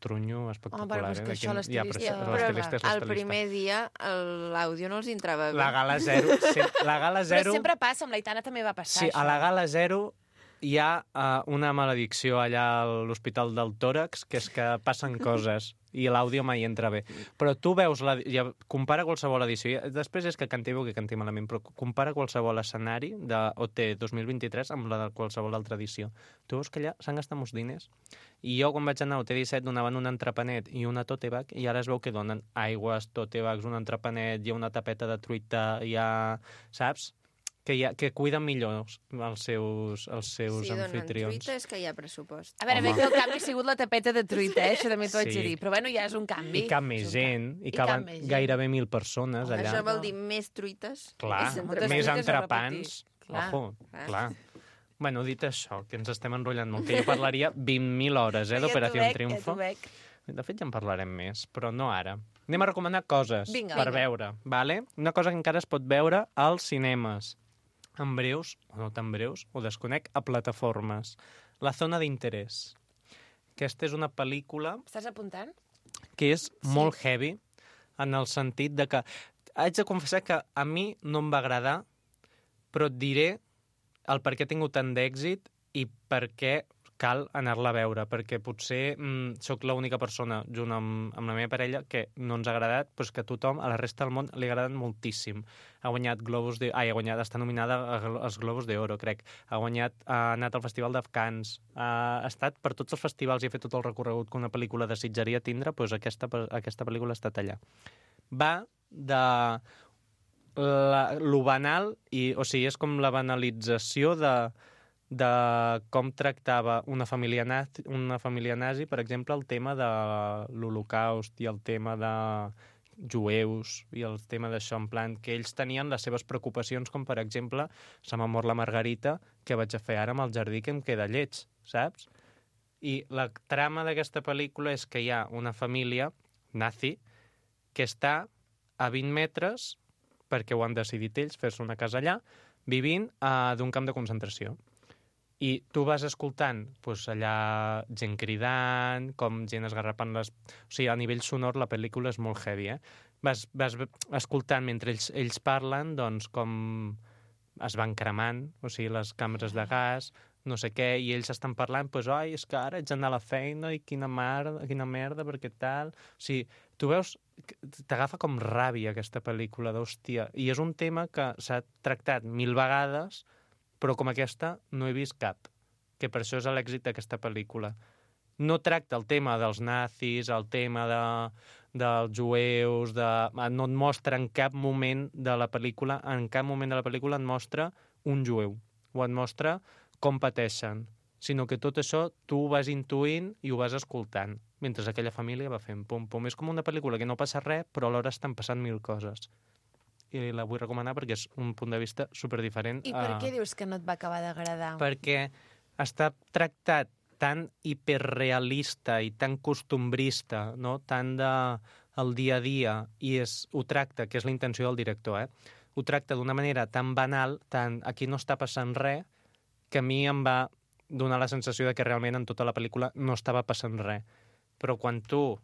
trunyo espectacular. Home, però és eh? que D'aquí- això l'estilista- Ja, però, Ja, això- però l'estilista és el l'estilista. primer dia el- l'àudio no els entrava bé. La gala zero... Sí, la gala Però zero... sempre passa, amb l'Aitana també va passar, Sí, això. a la gala zero hi ha uh, una maledicció allà a l'Hospital del Tòrax, que és que passen coses i l'àudio mai entra bé. Però tu veus, la, ja, compara qualsevol edició, i després és que canti bé o que canti malament, però compara qualsevol escenari de O T dos mil vint-i-tres amb la de qualsevol altra edició. Tu veus que allà s'han gastat molts diners. I jo, quan vaig anar a O T disset, donaven un entrepanet i una tote bag, i ara es veu que donen aigües, tote bags, un entrepanet, hi ha una tapeta de truita, hi ha... Saps? Que, hi ha, que cuiden millor els seus, els seus Si donen anfitrions. truita és que hi ha pressupost. A veure, bé que el canvi ha sigut la tapeta de truita, eh? Això també t'ho haig Sí. de dir. Però bueno, ja és un canvi. I cap més És un gent, i I caben cap més gent. gairebé mil persones allà. Això vol dir més truites. Clar, més Moltes més truites a entrepans. repartir. Clar. Ojo, Clar. clar. Bueno, dit això, que ens estem enrotllant molt, que jo parlaria vint mil hores, eh, Ja t'ho d'Operació veig, Triunfo. Ja t'ho veig. De fet, ja en parlarem més, però no ara. Anem a recomanar coses Vinga. per Vinga. veure, vale? Una cosa que encara es pot veure als cinemes. En breus, o no tan breus, ho desconec, a plataformes. La zona d'interès. Aquesta és una pel·lícula Estàs apuntant? que és molt heavy, en el sentit de que... Haig de confessar que a mi no em va agradar, però et diré el per què ha tingut tant d'èxit i per què cal anar-la a veure, perquè potser mm, sóc l'única persona, junt amb, amb la meva parella, que no ens ha agradat, però és que a tothom, a la resta del món, li ha agradat moltíssim. Ha guanyat Globus de... Ai, ha guanyat, està nominada als Globus d'Oro, crec. Ha guanyat, ha anat al Festival de Cannes, ha estat per tots els festivals i ha fet tot el recorregut que una pel·lícula desitjaria tindre, doncs aquesta, aquesta pel·lícula ha estat allà. Va de la, lo banal, i, o sigui, és com la banalització de, de com tractava una família, nazi, una família nazi, per exemple, el tema de l'Holocaust i el tema de jueus i el tema d'això, en plan, que ells tenien les seves preocupacions, com per exemple, se m'ha mort la Margarita, que vaig a fer ara amb el jardí que em queda lleig, saps? I la trama d'aquesta pel·lícula és que hi ha una família nazi que està a vint metres, perquè ho han decidit ells, fer-se una casa allà, vivint uh, d'un camp de concentració. I tu vas escoltant doncs, allà gent cridant, com gent esgarrapant les... O sigui, a nivell sonor la pel·lícula és molt heavy, eh? Vas, vas escoltant mentre ells, ells parlen, doncs, com es van cremant, o sigui, les càmeres de gas, no sé què, i ells estan parlant, doncs, oi, és que ara haig d'anar a la feina i quina merda, quina merda, perquè tal... O sigui, tu veus, t'agafa com ràbia aquesta pel·lícula, d'hòstia, i és un tema que s'ha tractat mil vegades, però com aquesta no he vist cap, que per això és l'èxit d'aquesta pel·lícula. No tracta el tema dels nazis, el tema de, dels jueus, de... no et mostra en cap moment de la pel·lícula, en cap moment de la pel·lícula et mostra un jueu, o et mostra com pateixen, sinó que tot això tu ho vas intuint i ho vas escoltant, mentre aquella família va fent pum-pum. És com una pel·lícula que no passa res, però alhora estan passant mil coses. I la vull recomanar perquè és un punt de vista superdiferent. I per uh, què dius que no et va acabar d'agradar? Perquè està tractat tan hiperrealista i tan costumbrista, no? Tan de el dia a dia, i és, ho tracta, que és la intenció del director, eh? ho tracta d'una manera tan banal, tan aquí no està passant res, que a mi em va donar la sensació de que realment en tota la pel·lícula no estava passant res. Però quan tu...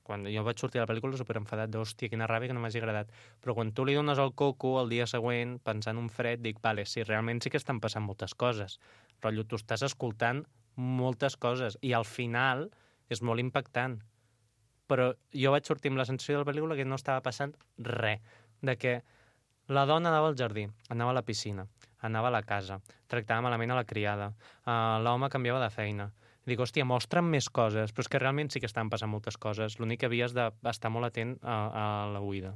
Quan jo vaig sortir de la pel·lícula superenfadat d'hòstia, quina ràbia que no m'hagi agradat. Però quan tu li dones el coco el dia següent, pensant un fred, dic, vale, sí, realment sí que estan passant moltes coses. Rotllo, tu estàs escoltant moltes coses i al final és molt impactant. Però jo vaig sortir amb la sensació de la pel·lícula que no estava passant res. De que la dona anava al jardí, anava a la piscina, anava a la casa, tractava malament a la criada, uh, l'home canviava de feina. Dic, hòstia, mostra'm més coses, però és que realment sí que estan passant moltes coses. L'únic que havies d'estar molt atent a, a la oïda.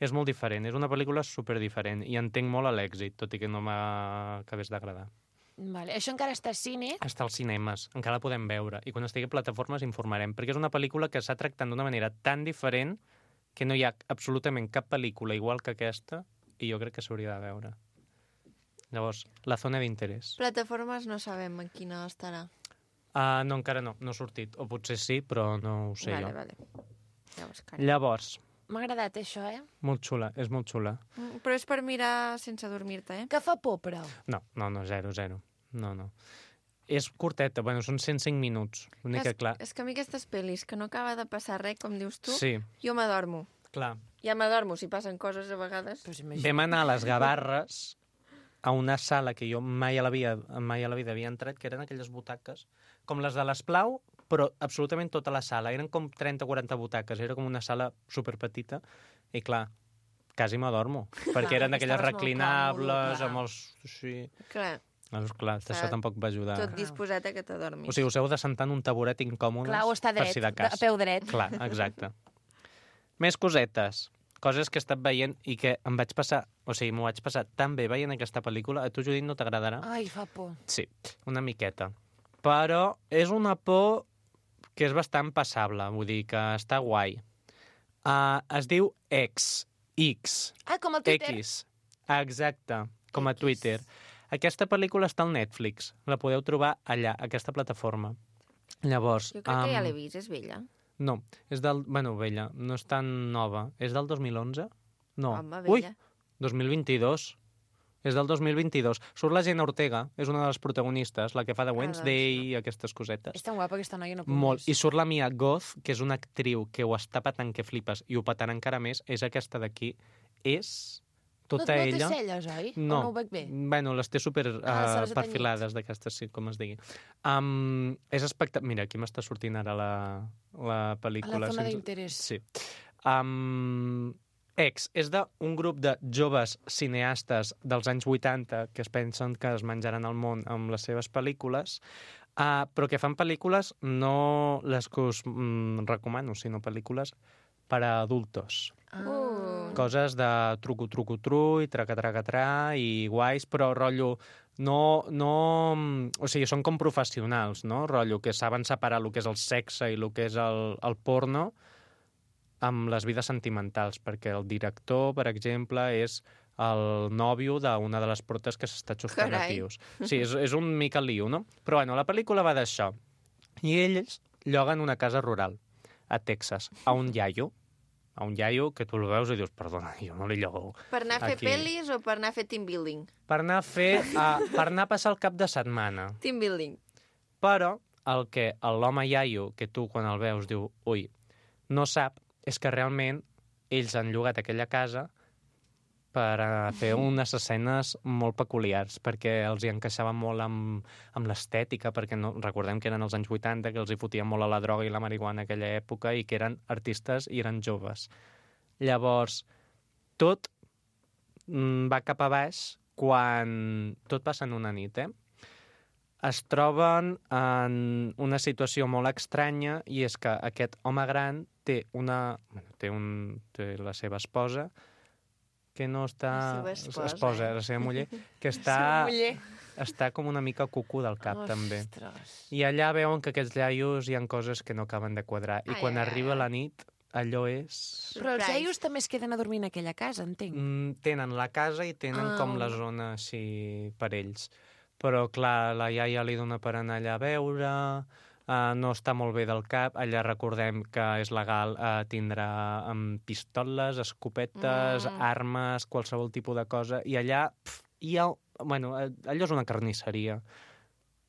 És molt diferent, és una pel·lícula superdiferent i entenc molt a l'èxit, tot i que no m'acabés d'agradar. Vale. Això encara està a cine? Està als cinemes, encara la podem veure, i quan estigui a plataformes informarem, perquè és una pel·lícula que s'ha tractat d'una manera tan diferent que no hi ha absolutament cap pel·lícula igual que aquesta i jo crec que s'hauria de veure. Llavors, la zona d'interès. Plataformes no sabem en quina estarà. Uh, no, encara no, no ha sortit. O potser sí, però no ho sé vale, jo. Vale. Llavors, Llavors, m'ha agradat això, eh? molt xula, és molt xula. Mm, però és per mirar sense dormir-te, eh? Que fa por, però. No, no, no, zero, zero. No, no. És curteta, bueno, són cent cinc minuts. L'únic que, clar... És que a mi aquestes pel·lis, que no acaba de passar res, com dius tu, sí. Jo m'adormo. Clar. Ja m'adormo si passen coses a vegades. Pues vam anar a les Gavarres a una sala que jo mai a la vida, mai a la vida havia entrat, que eren aquelles butaques, com les de l'Esplau, però absolutament tota la sala. Eren com trenta o quaranta butaques, era com una sala superpetita, i clar, quasi m'adormo, perquè eren aquelles reclinables, amb els... Sí. Clar. Llavors, clar, això tampoc va ajudar. Tot disposat a que t'adormis. O sigui, us heu de sentar en un taburet incòmode. Clar, o està dret, si de cas. a peu dret. Clar, exacte. Més cosetes. Coses que he estat veient i que em vaig passar... O sigui, m'ho vaig passar tan bé veient aquesta pel·lícula. A tu, Judit, no t'agradarà? Ai, fa por. Sí, una miqueta. Però és una por que és bastant passable. Vull dir que està guai. Uh, es diu X. X. Ah, com el Twitter. X. Exacte, com a X. Twitter. Aquesta pel·lícula està al Netflix. La podeu trobar allà, a aquesta plataforma. Llavors... Jo crec um... que ja l'he vist, és vella. No, és del... Bueno, vella, no és tan nova. És del dos mil onze? No. Home, vella. Ui, dos mil vint-i-dos. És del dos mil vint-i-dos. Surt la Jenna Ortega, és una de les protagonistes, la que fa de Wednesday i ah, doncs, aquestes cosetes. És tan guapa aquesta noia, no puc Molt. més. I surt la Mia Goth, que és una actriu que ho està patant que flipes i ho patarà encara més, és aquesta d'aquí. És... Tota no, no ella... té celles, oi? No. O no ho veig bé? Bueno, les té super uh, ah, perfilades d'aquestes, sí, com es digui. Um, és espectacular. Mira, aquí m'està sortint ara la, la pel·lícula. A la zona sense... d'interès. Sí. Um, X és d'un grup de joves cineastes dels anys vuitanta que es pensen que es menjaran el món amb les seves pel·lícules, uh, però que fan pel·lícules no les que us mm, recomano, sinó pel·lícules per a adultos. Uh. Coses de truco-truco-tru i traca-traca-tra i guais, però rotllo no, no... O sigui, són com professionals, no? Rotllo que saben separar el que és el sexe i el que és el, el porno amb les vides sentimentals, perquè el director, per exemple, és el nòvio d'una de les protes que s'està xuscant a tios. Sí, és, és un mica lío, no? Però bueno, la pel·lícula va d'això. I ells lloguen una casa rural a Texas, a un iaio, a un iaio que tu el veus i dius, perdona, jo no li llogo. Per anar a fer aquí. pel·lis o per anar a fer team building? Per anar a fer... Uh, per anar a passar el cap de setmana. Team building. Però el que l'home iaio, que tu quan el veus diu, ui, no sap, és que realment ells han llogat aquella casa per uh, fer unes escenes molt peculiars, perquè els hi encaixava molt amb, amb l'estètica, perquè no, recordem que eren els anys vuitanta, que els hi fotien molt a la droga i la marihuana en aquella època, i que eren artistes i eren joves. Llavors, tot mm, va cap a baix quan tot passa en una nit, eh? Es troben en una situació molt estranya, i és que aquest home gran té una... Bueno, té, un, té la seva esposa, que no està... La seva esposa, esposa eh? la seva muller, que està, està com una mica cucu del cap, Ostres. també. I allà veuen que aquests iaios hi ha coses que no acaben de quadrar. I Ai, quan ai, arriba ai. la nit, allò és... Però els Surprise. iaios també es queden a dormir en aquella casa, entenc. Mm, tenen la casa i tenen Ah. com la zona així per ells. Però, clar, la iaia li dona per anar allà a veure, uh, no està molt bé del cap. Allà recordem que és legal uh, tindre um, pistoles, escopetes, Mm. armes, qualsevol tipus de cosa. I allà pf, hi ha... Bueno, allò és una carnisseria.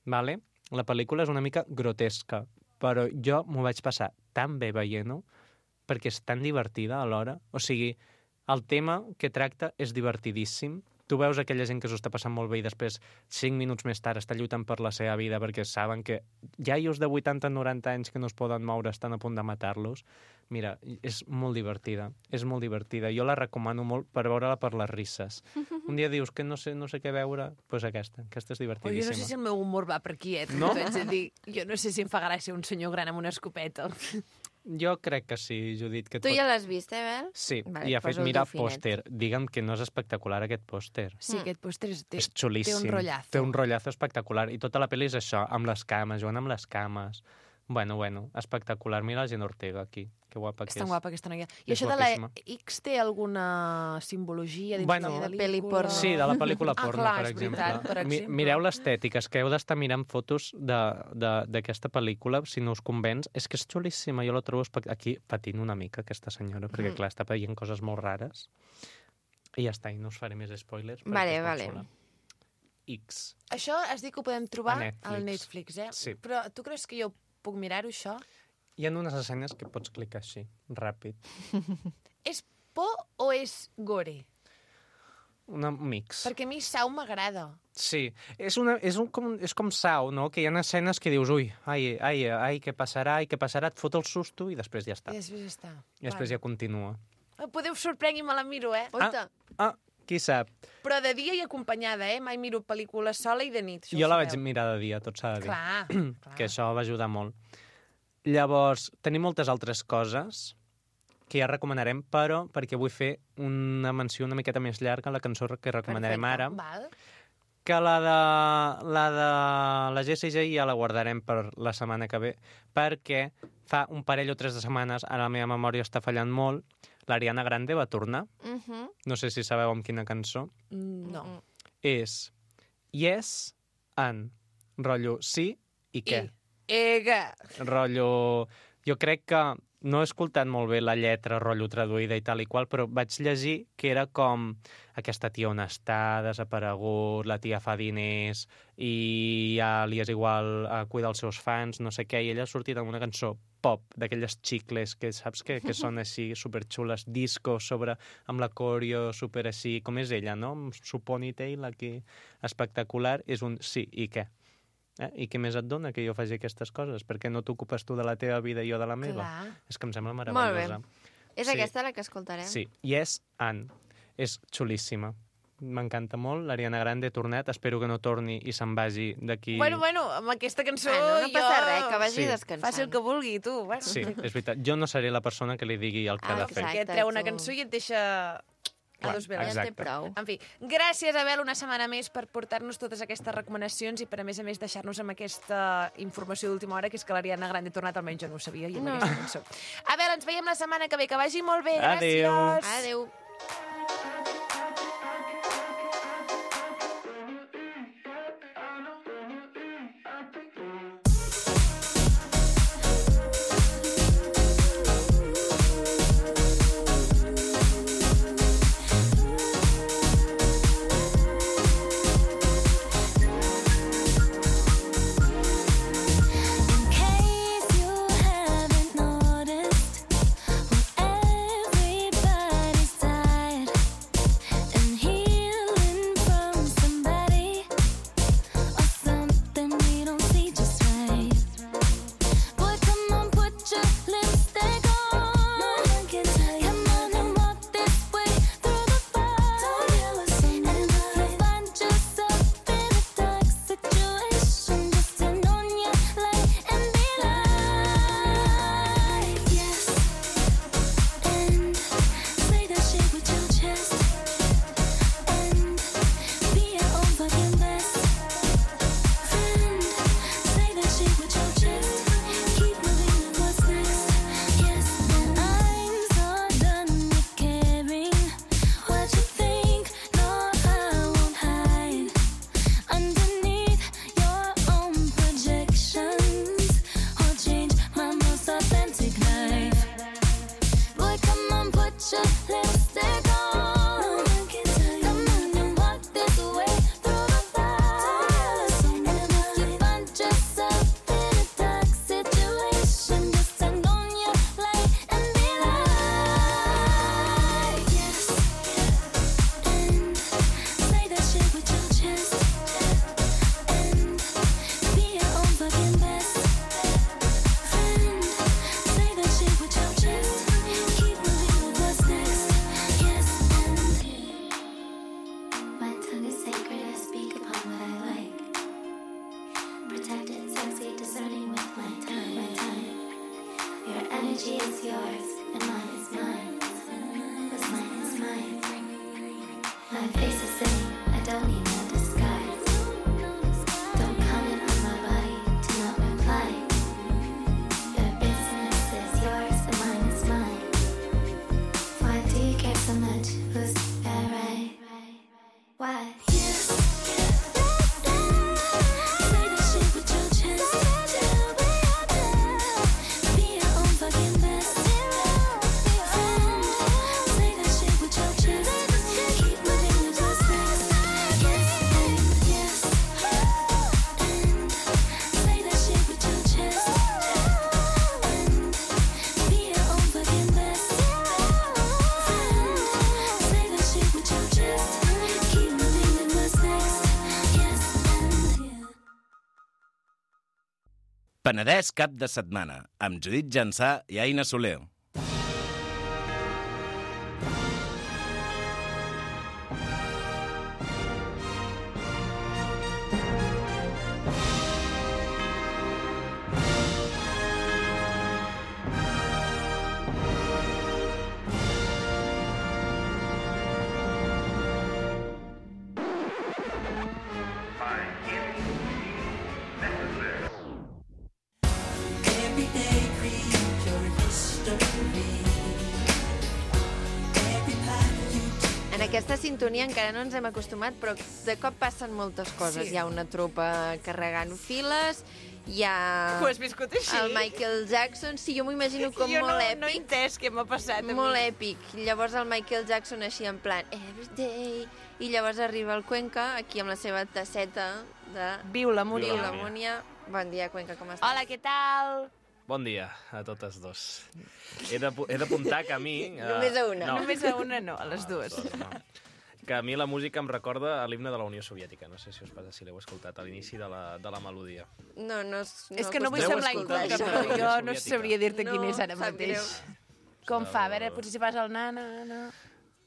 Vale? La pel·lícula és una mica grotesca, però jo m'ho vaig passar tan bé veient-ho, perquè és tan divertida alhora. O sigui, el tema que tracta és divertidíssim. Tu veus aquella gent que s'ho està passant molt bé i després, cinc minuts més tard, està lluitant per la seva vida perquè saben que iaios de vuitanta noranta anys que no es poden moure estan a punt de matar-los. Mira, és molt divertida, és molt divertida. Jo la recomano molt per veure-la per les risses. Un dia dius que no sé, no sé què veure, doncs pues aquesta, aquesta és Oh, jo divertidíssima. no sé si el meu humor va per aquí, eh? No? T'ho haig de dir. Jo no sé si em fa gràcia un senyor gran amb una escopeta. Jo crec que sí, Judit. Que et Tu pot- ja l'has vist, eh, Bel? Sí, Vale, i ha fet posa'l mirar el tu finet. pòster. Digue'm que no és espectacular aquest pòster. Sí, aquest pòster és, té, És xulíssim. té un rotllazo. Té un rotllazo espectacular. I tota la pel·li és això, amb les cames, jugant amb les cames. Bueno, bueno, espectacular. Mira la Gent Ortega aquí, que guapa que És tan és. guapa aquesta noia. I És això de la guapíssima. X té alguna simbologia dins Bueno, de la de pel·li pel·lícula? porno. Sí, de la pel·lícula Ah, porno, clar, per és exemple. veritat, per Mi- exemple. Mireu l'estètica, és que heu d'estar mirant fotos de- de- d'aquesta pel·lícula, si no us convenç. És que és xulíssima, jo la trobo espect... Aquí patint una mica, aquesta senyora, perquè, Mm. clar, està veient coses molt rares. I ja està, i no us faré més spoilers. perquè Vale, és molt vale. xula. X. Això has dit que ho podem trobar A Netflix. al Netflix, eh? Sí. Però tu creus que jo puc mirar-ho, això? Hi ha unes escenes que pots clicar així, ràpid. És por o és gore? Un mix. Perquè a mi Sau m'agrada. Sí, és, una, és, un, com, és com Sau, no? Que hi ha escenes que dius, ui, ai, ai, ai, què passarà, ai, què passarà, et fot el susto i després ja està. I després ja està. I després ja continua. ja... Podeu sorprengui, me la miro, eh? Oita, Ah, qui sap? Però de dia i acompanyada, eh? Mai miro pel·lícules sola i de nit. Això Jo ho la vaig sabeu. mirar de dia, tot s'ha de dir. Clar, clar. Que això va ajudar molt. Llavors, tenim moltes altres coses que ja recomanarem, però perquè vull fer una menció una miqueta més llarga a la cançó que recomanarem Perfecte. ara, Val. que la de la de la Jessie J ja la guardarem per la setmana que ve, perquè fa un parell o tres de setmanes, ara la meva memòria està fallant molt, l'Ariana Grande va tornar, mhm, no sé si sabeu amb quina cançó, Mm, No. mm. és Yes and, rotllo sí i què. Ega. Rotllo... Jo crec que no he escoltat molt bé la lletra, rotllo traduïda i tal i qual, però vaig llegir que era com aquesta tia on està, desaparegut, la tia fa diners i ja li és igual a cuidar els seus fans, no sé què, i ella ha sortit amb una cançó pop, d'aquelles xicles que saps que, que són així superxules, disco sobre, amb la coreo super així, com és ella, no? Amb su ponytail aquí espectacular, és un sí i què. Eh? I què més et dona que jo faci aquestes coses? Per què no t'ocupes tu de la teva vida i jo de la meva? Clar. És que em sembla Molt meravellosa. És Sí. aquesta la que escoltarem? Sí, Yes and. És xulíssima. M'encanta molt. L'Ariana Grande ha tornat. Espero que no torni i se'n vagi d'aquí... Bueno, bueno, amb aquesta cançó Bueno, no passa jo... res, que vagi Sí. descansant. Faci el que vulgui, tu. Bueno. Sí, és veritat. Jo no seré la persona que li digui el que Ah, ha de fer. Perquè et Exacte, treu una tu. cançó i et deixa... a dos Ja veles. en té Exacte. prou. En fi, gràcies, Abel, una setmana més per portar-nos totes aquestes recomanacions i per, a més a més, deixar-nos amb aquesta informació d'última hora, que és que l'Ariana Grande ha tornat, almenys jo no ho sabia, i amb No. aquesta cançó. Abel, ens veiem la setmana que ve, que vagi molt bé. Adéu. Gràcies. Adéu. In case you haven't noticed, well, everybody's tired. energy is yours, and mine is mine. What's mine is mine. My face is same, I don't need no disguise. Don't comment on my body, do not reply. Your business is yours, and mine is mine. Why do you care so much? Who's that right? Why? Penedès cap de setmana, amb Judit Jansà i Aina Soler. En aquesta sintonia encara no ens hem acostumat, però de cop passen moltes coses. Sí. Hi ha una tropa carregant files, hi ha Ho has viscut així? el Michael Jackson. Sí, jo m'ho imagino com jo molt no, èpic. no he entès què m'ha passat. a mi. Molt èpic. Llavors el Michael Jackson així en plan every day. I llavors arriba el Cuenca, aquí amb la seva tasseta de Viu la Múria. Viu la Múnia. Bon dia, Cuenca, com estàs? Hola, què tal? Bon dia a totes dos. He d'apu- he d'apuntar que a mi... eh, Només a una. No, Només a una no, a les dues. dos, no. Que a mi la música em recorda a l'himne de la Unió Soviètica. No sé si us passa, si l'heu escoltat, a l'inici de, la, de la melodia. No, no, no És que no vull acostumem semblar a escoltar inculta, això. però jo no Soviètica. sabria dir-te No, quin és ara sap mateix. greu. Com fa? A veure, potser si fas el na, na, na...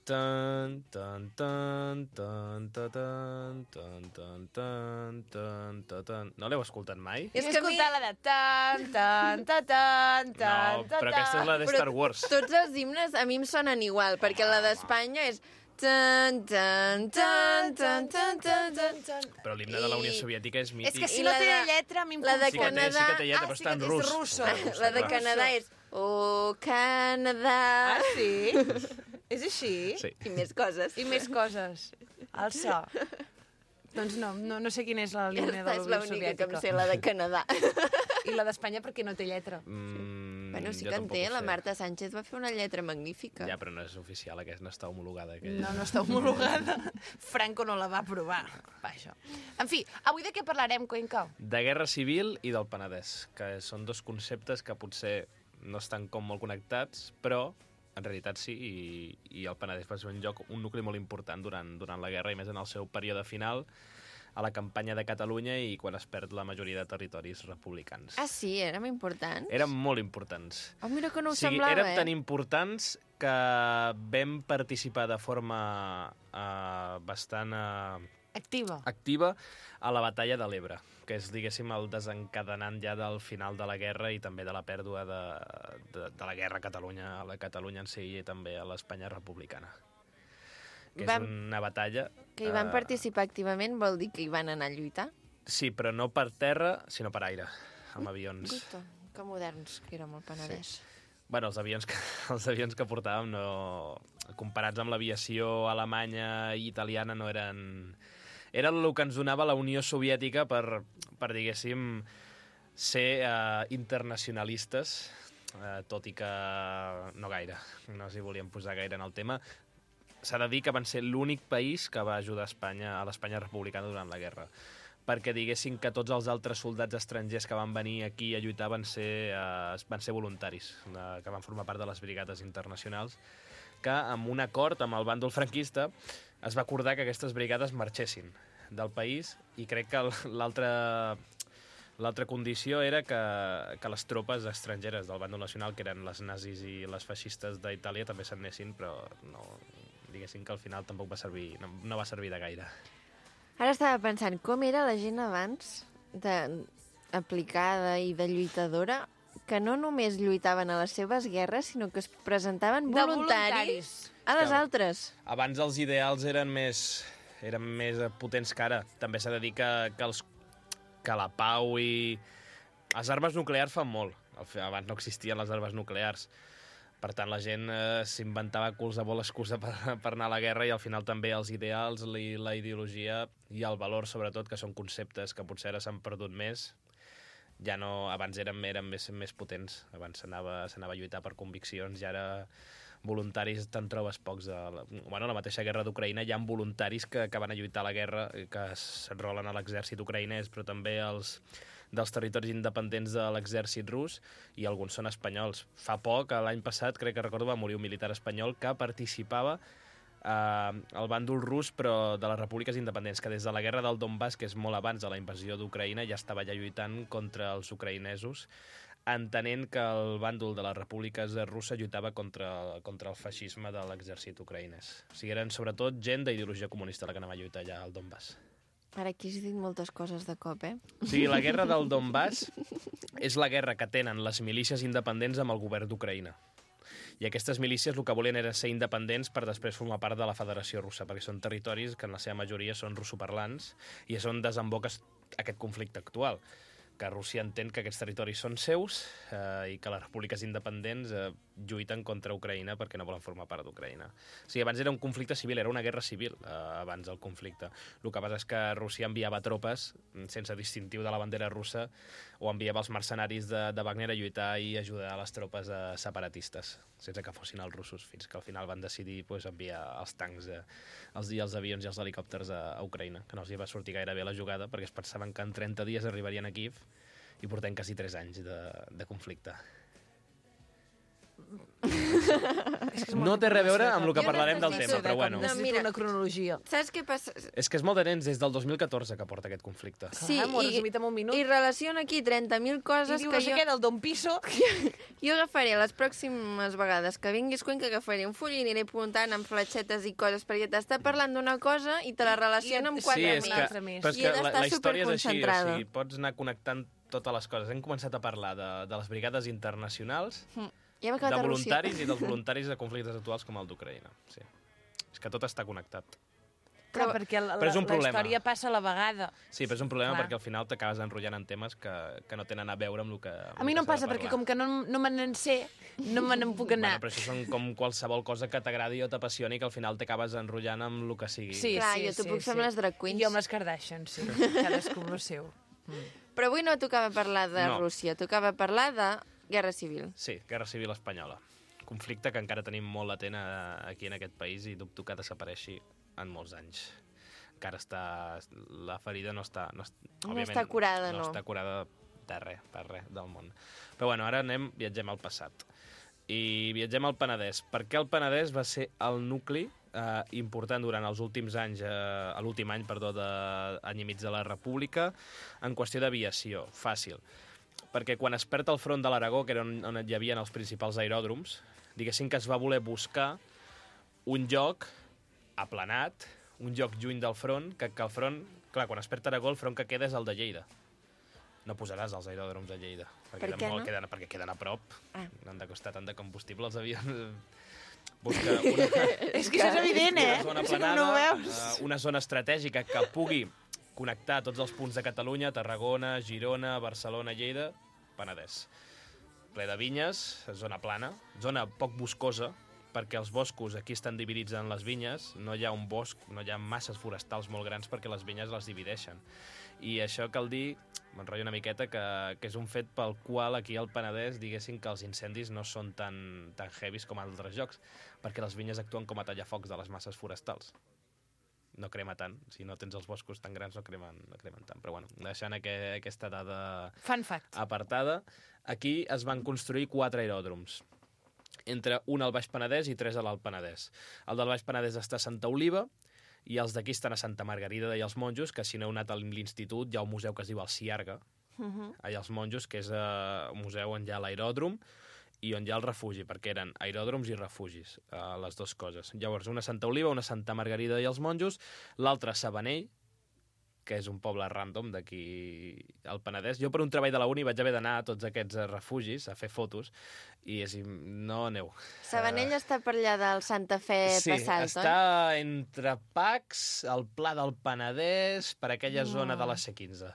Tan, tan, tan, tan, tan, tan, tan, tan, tan, tan, tan, tan. No l'heu escoltat mai? És És que que a mi- escoltar la de tan, tan, tan, tan, tan, No, però aquesta és la de Però Star Wars. Tots els himnes a mi em sonen igual, perquè la d'Espanya és tan, tan, tan, tan, tan, tan, tan, tan. Però l'himne de la Unió I- Soviètica és És mític. que si I no la té de- lletra, a mi em la de Sí que té, confon. sí que té lletra, Ah, però sí està en que és rus. russo. La de Canadà és Oh, Canadà. Ah, sí? És així? Sí. I més coses. I més coses. El so. Doncs no, no, no sé quina és la línia de Aquesta la és Unió l'única que em Soviètica. sé, la de Canadà. I la d'Espanya perquè no té lletra. Mm, Bueno, sí jo que en tampoc té, ho la sé. Marta Sánchez va fer una lletra magnífica. Ja, però no és oficial, aquesta no està homologada. Aquella. No, no està homologada. Franco no la va aprovar. Vaja. En fi, avui de què parlarem, Cuenca? De Guerra Civil i del Penedès, que són dos conceptes que potser no estan com molt connectats, però en realitat sí, i, i el Penedès va ser un lloc, un nucli molt important durant, durant la guerra, i més en el seu període final, a la campanya de Catalunya i quan es perd la majoria de territoris republicans. Ah, sí? Érem importants? Eren molt importants. Oh, mira que no ho o sigui, semblava, érem eh? tan importants que vam participar de forma uh, bastant uh, Activa. activa a la batalla de l'Ebre, que és, diguéssim, el desencadenant ja del final de la guerra i també de la pèrdua de, de, de la guerra a Catalunya, a la Catalunya en si i també a l'Espanya republicana. Que Vam- és una batalla... Que hi van eh, participar activament vol dir que hi van anar a lluitar? Sí, però no per terra, sinó per aire, amb avions. Gusto, que moderns que érem al Penedès. Bueno, els avions que, els avions que portàvem, no, comparats amb l'aviació alemanya i italiana, no eren... Era el que ens donava la Unió Soviètica per, per diguéssim, ser uh, internacionalistes, uh, tot i que no gaire, no s'hi volien posar gaire en el tema. S'ha de dir que van ser l'únic país que va ajudar a Espanya, a l'Espanya republicana durant la guerra, perquè diguessin que tots els altres soldats estrangers que van venir aquí a lluitar van ser, uh, van ser voluntaris, uh, que van formar part de les brigades internacionals, que amb un acord amb el bàndol franquista es va acordar que aquestes brigades marxessin del país, i crec que l'altra l'altra condició era que, que les tropes estrangeres del bàndol nacional, que eren les nazis i les feixistes d'Itàlia, també se'n anessin, però no, diguéssim que al final tampoc va servir, no, no va servir de gaire. Ara estava pensant, com era la gent abans de aplicada i de lluitadora que no només lluitaven a les seves guerres, sinó que es presentaven De voluntaris, a les Clar. altres. Abans els ideals eren més, eren més potents que ara. També s'ha de dir que, que, els, que la pau i... Les armes nuclears fan molt. Abans no existien les armes nuclears. Per tant, la gent eh, s'inventava qualsevol excusa per, per anar a la guerra i al final també els ideals, la, la ideologia i el valor, sobretot, que són conceptes que potser ara s'han perdut més, ja no... Abans eren, eren més, més potents. Abans s'anava s'anava a lluitar per conviccions i ara voluntaris te'n trobes pocs. De la, bueno, la mateixa guerra d'Ucraïna hi ha voluntaris que, que van a lluitar a la guerra, que s'enrolen a l'exèrcit ucraïnès, però també els dels territoris independents de l'exèrcit rus, i alguns són espanyols. Fa poc, l'any passat, crec que recordo, va morir un militar espanyol que participava eh, al bàndol rus, però de les repúbliques independents, que des de la guerra del Donbass, que és molt abans de la invasió d'Ucraïna, ja estava ja lluitant contra els ucraïnesos, entenent que el bàndol de les repúbliques russes lluitava contra, contra el feixisme de l'exèrcit ucraïnès. O sigui, eren sobretot gent d'ideologia comunista la que anava a lluitar allà al Donbass. Ara aquí has dit moltes coses de cop, eh? O sigui, la guerra del Donbass és la guerra que tenen les milícies independents amb el govern d'Ucraïna. I aquestes milícies el que volien era ser independents per després formar part de la Federació Russa, perquè són territoris que en la seva majoria són russoparlants i és on desemboca aquest conflicte actual, que Rússia entén que aquests territoris són seus eh, i que les repúbliques independents eh, lluiten contra Ucraïna perquè no volen formar part d'Ucraïna. O sigui, abans era un conflicte civil, era una guerra civil eh, abans del conflicte. El que passa és que Rússia enviava tropes sense distintiu de la bandera russa o enviava els mercenaris de, de Wagner a lluitar i ajudar a les tropes eh, separatistes, sense que fossin els russos, fins que al final van decidir pues, enviar els tancs, eh, els, els avions i els helicòpters a, a Ucraïna, que no els hi va sortir gaire bé la jugada perquè es pensaven que en trenta dies arribarien a Kíev i portem quasi tres anys de, de conflicte. No té res a veure amb el que Jo parlarem del necessito tema, però bueno. No, mira. una cronologia. Saps què passa? És que és molt de temps, des del dos mil catorze que porta aquest conflicte. Sí, Ah, m'ho has i, resumit en un minut. i relaciona aquí trenta mil I coses diu que no sé jo, què del Don Piso. jo agafaré les pròximes vegades que vinguis Cuenca, agafaré un full i aniré apuntant amb fletxetes i coses, perquè t'està parlant d'una cosa i te la relaciona amb I- quatre Sí, Quatre és mil. que, altre més. però és I que he la, d'estar la història és així, o superconcentrada. sigui, pots anar connectant totes les coses. Hem començat a parlar de, de les brigades internacionals, Ja hem de acabat a Rússia. voluntaris i dels voluntaris de conflictes actuals com el d'Ucraïna. Sí. És que tot està connectat. Clar, perquè la, Però és la, un la problema. història passa a la vegada. Sí, però és un problema Clar. perquè al final t'acabes enrotllant en temes que, que no tenen a veure amb el que A mi no em passa, perquè com que no, no me n'en sé, no me n'en puc anar. Bueno, però això són com qualsevol cosa que t'agradi o t'apassioni que al final t'acabes enrotllant amb el que sigui. Sí, Clar, sí, jo t'ho sí, puc fer sí. amb les drag queens. Jo amb les Kardashian, sí. Cadascú amb el seu. Però avui no tocava parlar de No. Rússia, tocava parlar de Guerra Civil. Sí, Guerra Civil Espanyola. Conflicte que encara tenim molt latent a, aquí en aquest país i dubto que desapareixi en molts anys. Encara està... La ferida no està... No, No òbviament, està curada, no. No està curada de res, per res del món. Però bueno, ara anem, viatgem al passat. I viatgem al Penedès. Per què el Penedès va ser el nucli eh, important durant els últims anys, eh, l'últim any, perdó, de any i mig de la República, en qüestió d'aviació? Fàcil. Perquè quan es perd el front de l'Aragó, que era on, on hi havia els principals aeròdroms, diguéssim que es va voler buscar un lloc aplanat, un lloc lluny del front, que, que el front... Clar, quan es perd Aragó, el front que queda és el de Lleida. No posaràs els aeròdroms a Lleida, perquè, Per què molt, no? queden, perquè queden a prop. Ah. Han de costar tant de combustible els avions. Busca una, És que això és evident, eh? una zona És que aplanada, no ho veus? eh, una zona estratègica que pugui connectar tots els punts de Catalunya, Tarragona, Girona, Barcelona, Lleida, Penedès. Ple de vinyes, zona plana, zona poc boscosa, perquè els boscos aquí estan dividits en les vinyes, no hi ha un bosc, no hi ha masses forestals molt grans perquè les vinyes les divideixen. I això cal dir, m'enrotllo una miqueta, que, que és un fet pel qual aquí al Penedès diguéssim que els incendis no són tan, tan heavies com en altres llocs, perquè les vinyes actuen com a tallafocs de les masses forestals. No crema tant, si no tens els boscos tan grans no cremen, no cremen tant. Però bueno, deixant aqu aquesta dada Fun fact. apartada, aquí es van construir quatre aeròdroms, entre un al Baix Penedès i tres a l'Alt Penedès. El del Baix Penedès està a Santa Oliva, i els d'aquí estan a Santa Margarida i els Monjos, que si no heu anat a l'institut hi ha un museu que es diu el Ciarga, Uh -huh. allà als Monjos, que és uh, un museu on hi ha l'aeròdrom i on hi ha el refugi, perquè eren aeròdroms i refugis, uh, les dues coses. Llavors, una a Santa Oliva, una a Santa Margarida i els Monjos, l'altra a Sabanell, que és un poble random d'aquí al Penedès. Jo per un treball de la uni vaig haver d'anar a tots aquests refugis a fer fotos i és, no aneu. Sabanell uh, està per allà del Santa Fe sí, passat, oi? Sí, està entre Pacs, el Pla del Penedès, per aquella No. zona de la C quinze.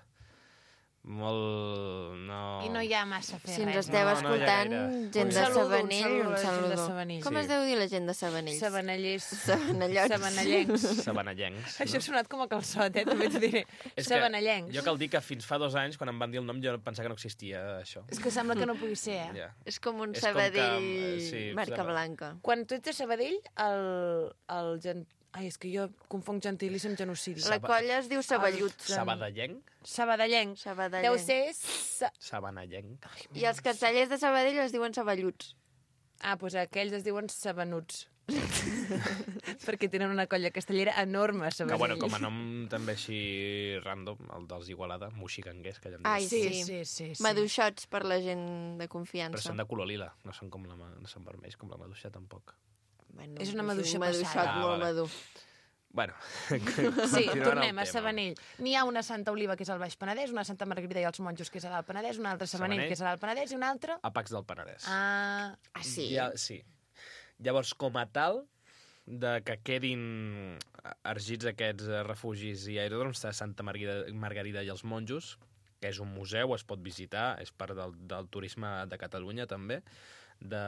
Molt... No... I no hi ha massa a fer Si ens res. esteu No, no hi ha escoltant, gaire. gent Un de saludo, un Sabanell, saludo a un la gent de saludo. Sabanell. Com Sí. es deu dir la gent de Sabanell? Sabanellers. Sabanellots. Sabanellencs. Sabanellencs. Això ha sonat com a calçot, eh? També t'ho diré. És que Sabanellencs. Jo cal dir que fins fa dos anys, quan em van dir el nom, jo pensava que no existia això. És que sembla que no pugui ser, eh? Ja. És com un És com Sabadell que, eh, sí, marca Saba- blanca. Quan tu ets de Sabadell, el... el gen... Ai, és que jo confonc gentilíssim amb genocidi. La colla es diu Saballuts. Sabadellenc? Sabadellenc. Sabadellenc. Deu ser... Sa... Sabanellenc. I els castellers de Sabadell es diuen Saballuts. Ah, doncs aquells es diuen sabanuts. Perquè tenen una colla castellera enorme a Que, Sabadell. bueno, com a nom també així random, el dels Igualada, moxicanguers, que ja en Ai, dius. Sí, sí. sí, sí. sí. Maduixots per la gent de Però confiança. són de color lila, no són com la, ma- no són vermells com la maduixa, tampoc. Bueno, És una un maduixa maduixot passada. Ah, molt vale. madur. Bueno, Sí, continuant tornem el a tema. Sabanell. N'hi ha una Santa Oliva, que és al Baix Penedès, una Santa Margarida i els Monjos, que és a l'Alt Penedès, una altra Sabanell, Sabanell. que és a l'Alt Penedès, i una altra... A Pacs del Penedès. Ah, Ah, sí? Ja, sí. Llavors, com a tal, de que quedin ergits aquests eh, refugis i aeròdroms de Santa Margarida, Margarida i els Monjos, que és un museu, es pot visitar, és part del, del turisme de Catalunya també, de,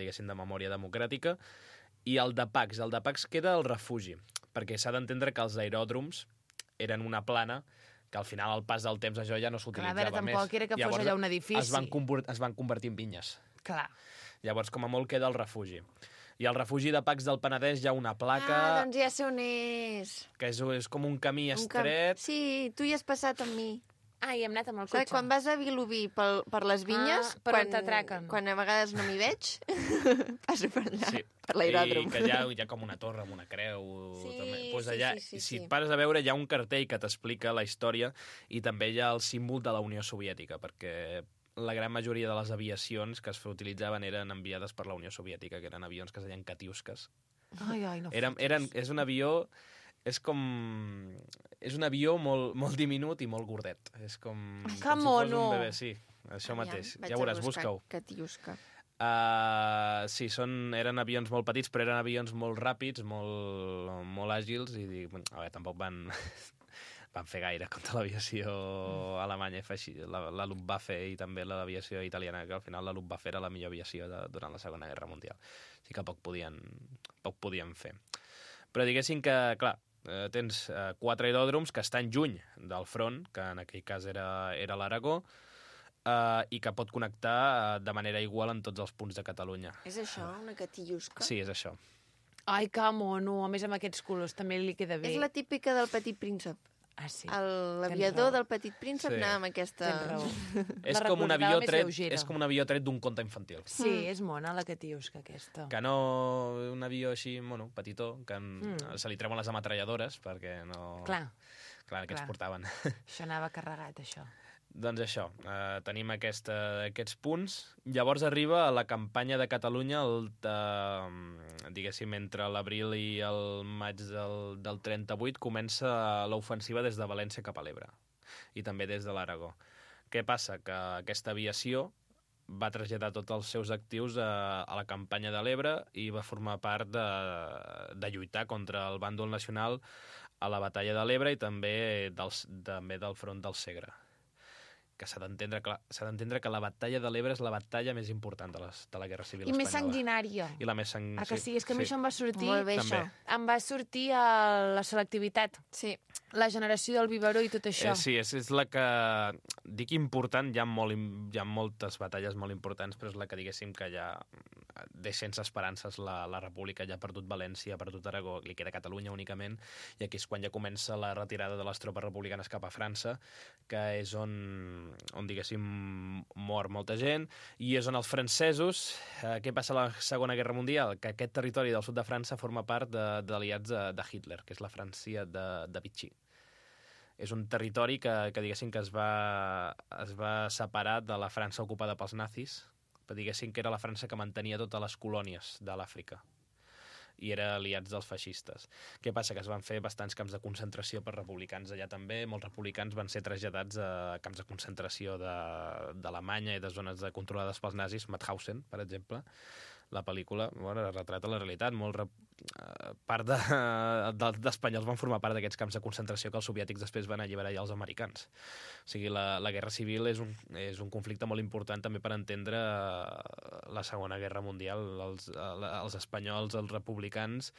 diguéssim, de memòria democràtica, i el de Pacs. El de Pacs queda al refugi, perquè s'ha d'entendre que els aeròdroms eren una plana que al final, al pas del temps, això ja no clar, a s'utilitzava veure, més. tampoc era que fos Llavors, allà un edifici. Es van, convert, es van convertir en vinyes. Clar. Llavors, com a molt, queda el refugi. I al refugi de Pacs del Penedès hi ha una placa Ah, doncs ja sé on és. que és, és com un camí Un camp- estret. Sí, tu hi has passat amb mi. Ah, i hem anat amb el Saps, cotxe. quan vas a Vilobí pel, per les vinyes, Ah, per on quan, t'atraquen. quan a vegades no m'hi veig, passo per allà, Sí. per l'aeròdrom. I que hi ha, hi ha com una torre amb una creu. Sí, també. Pues sí, allà, sí, sí, si sí. et pares a veure, hi ha un cartell que t'explica la història i també hi ha el símbol de la Unió Soviètica, perquè la gran majoria de les aviacions que es utilitzaven eren enviades per la Unió Soviètica, que eren avions que es deien Katiuskas. Ai, ai, no Eren, fotis. eren, és un avió... És com... És un avió molt, molt diminut i molt gordet. És com... Ai, que com si fos mono! un bebè, sí. Això mateix. Vaig Ja a veuràs, buscar busca-ho. Katiuska. Uh, sí, són, eren avions molt petits, però eren avions molt ràpids, molt, molt àgils, i dic, bueno, a veure, tampoc van, van fer gaire contra l'aviació alemanya, i feixi- la, la Luftwaffe i també l'aviació italiana, que al final la Luftwaffe era la millor aviació de, durant la Segona Guerra Mundial. Així que poc podien, poc podien fer. Però diguéssim que, clar, eh, tens eh, quatre aeròdroms que estan lluny del front, que en aquell cas era, era l'Aragó, Uh, i que pot connectar uh, de manera igual en tots els punts de Catalunya. És això, una Katiuska? Sí, és això. Ai, que mono. A més, amb aquests colors també li queda bé. És la típica del Petit Príncep. Ah, sí. El- Tens L'aviador raó. del Petit Príncep Sí. anava amb aquesta... Tens raó. És La com, un recordava avió més tret, lleugera. és com un avió tret d'un conte infantil. Sí, és mona la Katiuska, aquesta. Que no... Un avió així, bueno, petitó, que en, Mm. se li treuen les ametralladores, perquè no... Clar, Clar, que clar. ens portaven. això anava carregat, això. Doncs això, eh, tenim aquesta, aquests punts. Llavors arriba a la campanya de Catalunya, el de, diguéssim, entre l'abril i el maig del, del trenta-vuit, comença l'ofensiva des de València cap a l'Ebre, i també des de l'Aragó. Què passa? Que aquesta aviació va traslladar tots els seus actius a, a la campanya de l'Ebre i va formar part de, de lluitar contra el bàndol nacional a la batalla de l'Ebre i també, dels, també del front del Segre. Que s'ha d'entendre clar, s'ha d'entendre que la batalla de l'Ebre és la batalla més important de, les, de la Guerra Civil I Espanyola. més sanguinària. I la més sang... Ah, que sí? És que a mi això em va sortir... Molt bé, També. això. Em va sortir a la selectivitat, Sí. la generació del biberó i tot això. Eh, sí, és, és la que... Dic important, hi ha, molt, im- hi ha moltes batalles molt importants, però és la que diguéssim que ja deixa sense esperances la, la República, ja ha perdut València, ha perdut Aragó, li queda Catalunya únicament, i aquí és quan ja comença la retirada de les tropes republicanes cap a França, que és on, on diguéssim, mor molta gent, i és on els francesos... Eh, què passa a la Segona Guerra Mundial? Que aquest territori del sud de França forma part de- d'aliats de, de Hitler, que és la França de, de Vichy. És un territori que, que diguéssim, que es va, es va separar de la França ocupada pels nazis, però diguéssim que era la França que mantenia totes les colònies de l'Àfrica. i era aliats dels feixistes. Què passa? Que es van fer bastants camps de concentració per republicans allà també. Molts republicans van ser traslladats a camps de concentració d'Alemanya i de zones de controlades pels nazis, Mauthausen, per exemple. La pel·lícula, bueno, retrata la realitat. Molt re... part de... d'espanyols van formar part d'aquests camps de concentració que els soviètics després van alliberar ja els americans. O sigui, la, la guerra civil és un, és un conflicte molt important també per entendre la Segona Guerra Mundial. Els, els espanyols, els republicans,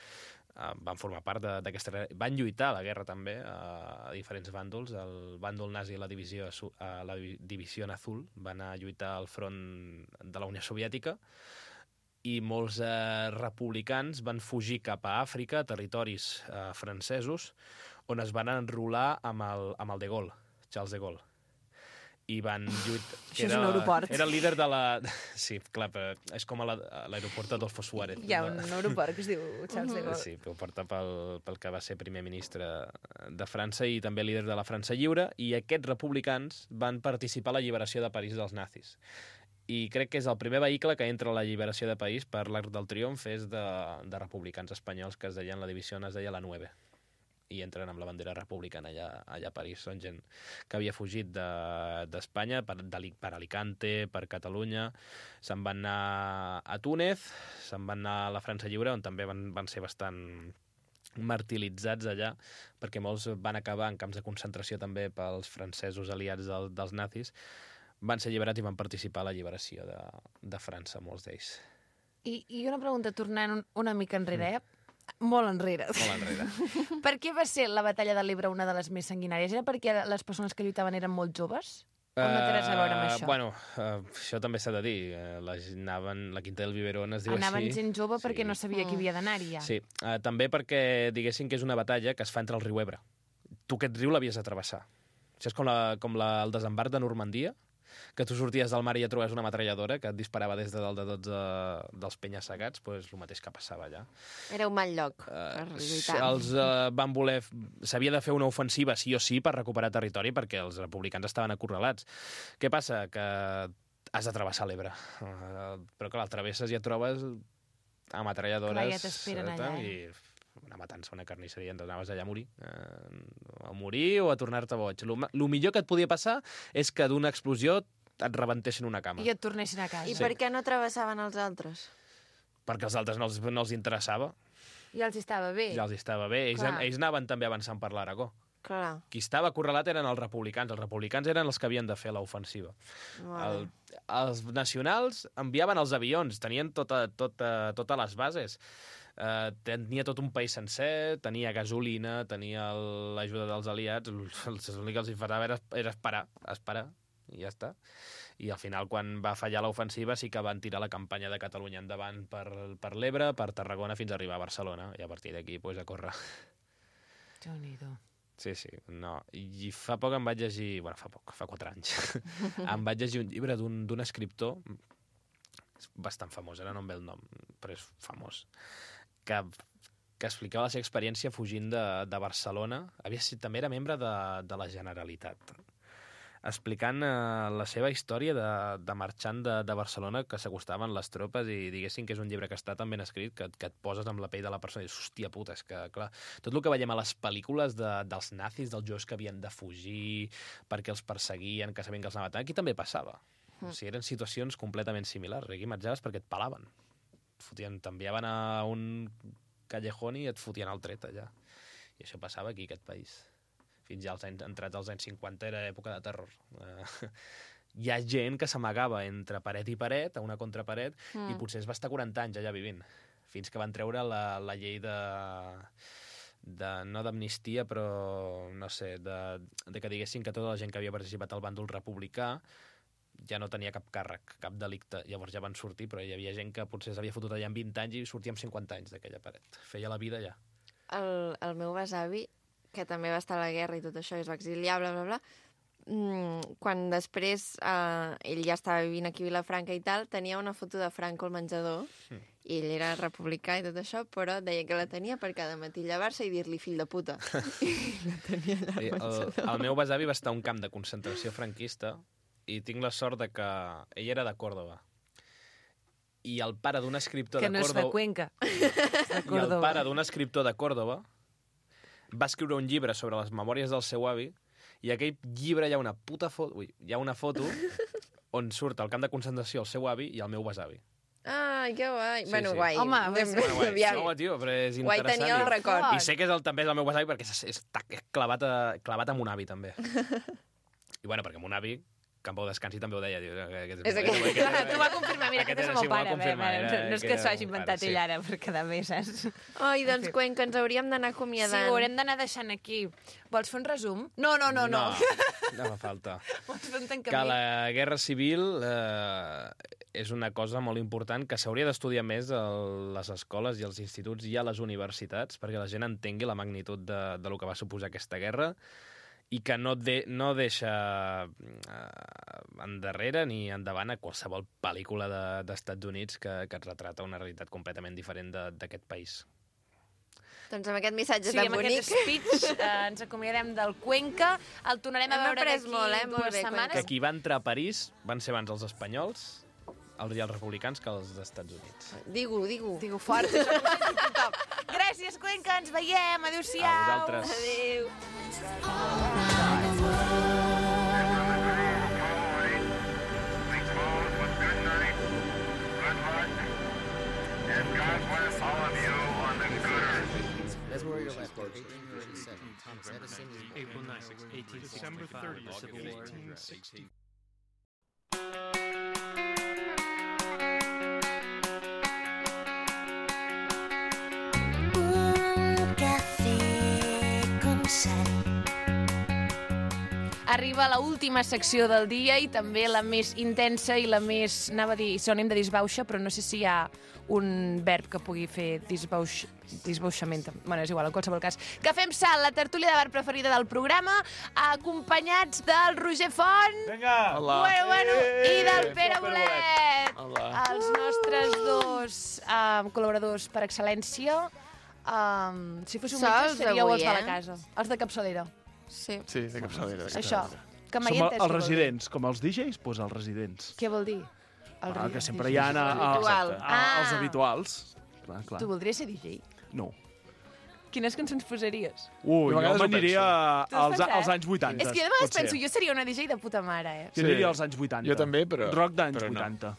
van formar part d'aquesta... Van lluitar a la guerra també a diferents bàndols. El bàndol nazi i la divisió, la divisió azul van anar a lluitar al front de la Unió Soviètica, i molts eh, republicans van fugir cap a Àfrica, a territoris eh, francesos, on es van enrolar amb el, amb el de Gaulle, Charles de Gaulle. I van lluitar... Això és un aeroport. Era el líder de la... Sí, clar, però és com a l'aeroport Adolfo Suárez. Hi ha un aeroport que es diu Charles de Gaulle. Sí, ho porta pel, pel que va ser primer ministre de França i també líder de la França Lliure, i aquests republicans van participar a l'alliberació de París dels nazis. I crec que és el primer vehicle que entra a la lliberació de país per l'Arc del Triomf és de, de republicans espanyols que es deien, la divisió es deia la Nueve, i entren amb la bandera republicana allà, allà a París. Són gent que havia fugit d'Espanya de, per, de, per Alicante, per Catalunya, se'n van anar a Túnez, se'n van anar a la França Lliure, on també van, van ser bastant martiritzats allà, perquè molts van acabar en camps de concentració també pels francesos aliats del, dels nazis. Van ser alliberats i van participar a la alliberació de, de França, molts d'ells. I, I una pregunta, tornant un, una mica enrere, eh? Molt enrere. Molt enrere. Per què va ser la batalla de l'Ebre una de les més sanguinàries? Era perquè les persones que lluitaven eren molt joves? O no té res a veure amb això? Uh, bueno, uh, això també s'ha de dir. Uh, la, anaven, la Quinta del Biberón es diu anaven així. Anaven gent jove perquè sí. No sabia qui havia d'anar-hi ja. Sí, uh, també perquè diguéssim que és una batalla que es fa entre el riu Ebre. Tu aquest riu l'havies de travessar. Això és com, la, com la, el desembarc de Normandia, que tu sorties del mar i ja trobaves una metralladora que et disparava des de dalt de tots uh, dels penya-segats, doncs el mateix que passava allà. Era un mal lloc uh, per lluitar. Els uh, van voler... S'havia de fer una ofensiva sí o sí per recuperar territori perquè els republicans estaven acorralats. Què passa? Que has de travessar l'Ebre. Uh, però clar, el travesses i et trobes a metralladores... Clar, ja t'esperen allà, eh? I una matança, una carnisseria, anaves allà a morir. Eh, a morir o a tornar-te boig. El millor que et podia passar és que d'una explosió et rebentessin una cama. I et tornessin a casa. I sí. per què no travessaven els altres? Perquè els altres no els, no els interessava. Ja els estava bé. Ja els estava bé. Ells, ells anaven també avançant per l'Aragó. Clar. Qui estava acorralat eren els republicans. Els republicans eren els que havien de fer l'ofensiva. El, els nacionals enviaven els avions, tenien tota, tota, totes les bases. Uh, tenia tot un país sencer, tenia gasolina, tenia l'ajuda dels aliats. L'únic que els farava era, era esperar, esperar, i ja està. I al final, quan va fallar l'ofensiva, sí que van tirar la campanya de Catalunya endavant per, per l'Ebre, per Tarragona, fins a arribar a Barcelona, i a partir d'aquí, pues, a córrer. Déu-n'hi-do. Sí, sí, no. I fa poc em vaig llegir... Bueno, fa poc, fa quatre anys. Em vaig llegir un llibre d'un escriptor bastant famós, ara no em ve el nom, però és famós, que, que explicava la seva experiència fugint de, de Barcelona. Havia sigut, també era membre de, de la Generalitat, explicant eh, la seva història de, de marxant de, de Barcelona, que s'acostaven les tropes, i diguéssim que és un llibre que està tan ben escrit que, que et poses amb la pell de la persona i dius, hòstia puta, és que, clar, tot el que veiem a les pel·lícules de, dels nazis, dels joves que havien de fugir perquè els perseguien, que sabien que els anaven, aquí també passava. Mm. O sigui, eren situacions completament similars. Aquí marxaves perquè et palaven. T'enviaven a un callejón i et fotien el tret allà. I això passava aquí, aquest país. Fins ja als anys, entrats als anys cinquanta era època de terror. Uh, hi ha gent que s'amagava entre paret i paret, a una contraparet, mm. i potser es va estar quaranta anys allà vivint, fins que van treure la, la llei de... de no d'amnistia, però no sé, de, de que diguessin que tota la gent que havia participat al bàndol republicà ja no tenia cap càrrec, cap delicte. Llavors ja van sortir, però hi havia gent que potser s'havia fotut allà en vint anys i sortia amb cinquanta anys d'aquella paret. Feia la vida allà. El, el meu besavi, que també va estar a la guerra i tot això, i es va exiliar, bla, bla, bla, mm, quan després eh, ell ja estava vivint aquí a Vilafranca i tal, tenia una foto de Franco al menjador, mm. i ell era republicà i tot això, però deia que la tenia per cada matí llevar-se i dir-li fill de puta. I la tenia allà al menjador. El, el meu besavi va estar a un camp de concentració franquista i tinc la sort de que ell era de Còrdova. I el pare d'un escriptor que de no Còrdova... és de Cuenca. I el pare d'un escriptor de Còrdova va escriure un llibre sobre les memòries del seu avi i a aquell llibre hi ha una puta foto... Ui, hi ha una foto on surt al camp de concentració el seu avi i el meu besavi. Ai, que guai. Sí, bueno, sí. guai. Home, Anem- Bueno, guai, aviam. no, tio, però és Guai interessant. tenia el i- record. I sé que és el, també és el meu besavi perquè és, és, està clavat, a, clavat amb un avi, també. I bueno, perquè amb un avi, que en pau descansi, també ho deia. Diu, aquest És aquest. aquest- Clar, t'ho va confirmar, mira, aquest aquest és el era- sí, meu m'ho va pare. Bé, confirmar, bé, era- no és que era s'ho hagi el inventat pare, sí. ell ara, per quedar bé, saps? Ai, doncs, En fi. Cuenca, ens hauríem d'anar Sí, acomiadant. ho haurem d'anar deixant aquí. Vols fer un resum? No, no, no, no. No fa falta. Vols fer un Que tancament? la guerra civil eh, és una cosa molt important que s'hauria d'estudiar més a les escoles i als instituts i a les universitats perquè la gent entengui la magnitud de, de lo que va suposar aquesta guerra i que no, de, no deixa eh, endarrere ni endavant a qualsevol pel·lícula de- d'Estats Units que, que et retrata una realitat completament diferent de- d'aquest país. Doncs amb aquest missatge Sí, tan amb bonic... aquest speech eh, ens acomiadem del Cuenca. El tornarem a Hem veure après d'aquí molt, eh? Molt dues bé, setmanes. Que qui va entrar a París van ser abans els espanyols els i els republicans que els d'Estats Units. Digue-ho, digue-ho. Digo fort, això ho senti tothom. Gràcies, Cuenca, ens veiem. Adéu-siau. A vosaltres. Adéu. That's where you're left. eighteen thirty-seven, Thomas Edison is April ninth, eighteen December thirtieth, Civil War. eighteen sixty. Un café con sal. Arriba la última secció del dia i també la més intensa i la més, anava a dir, sinònim de disbauxa, però no sé si hi ha un verb que pugui fer disbaux, disbauxament. Bueno, és igual, en qualsevol cas. Que fem salt, la tertúlia de bar preferida del programa, acompanyats del Roger Font. Vinga! Hola. Bueno, bueno, i del Eh, Pere Pere Bolet. Hola. Els nostres dos um, col·laboradors per excel·lència. Um, si fóssiu Sols metges, seríeu avui, els de la eh? casa. Els de capçalera. Sí. Sí, de capçalera. de Això. capçalera. Que mai Som entès els què vol dir. residents, com els D Js, doncs els residents. Què vol dir? El Ah, ri- que sempre hi ha a, a, Habitual. a, a, els Ah. habituals. Clar, clar. Tu voldries ser D J? No. Quines cançons posaries? Ui, Jo a jo vegades ho m'aniria Tu has als, pensat? als anys vuitanta. És que jo de vegades potser. penso, jo seria una D J de puta mare, eh? Jo diria als anys vuitanta. Jo també, però- Rock d'anys però no. vuitanta.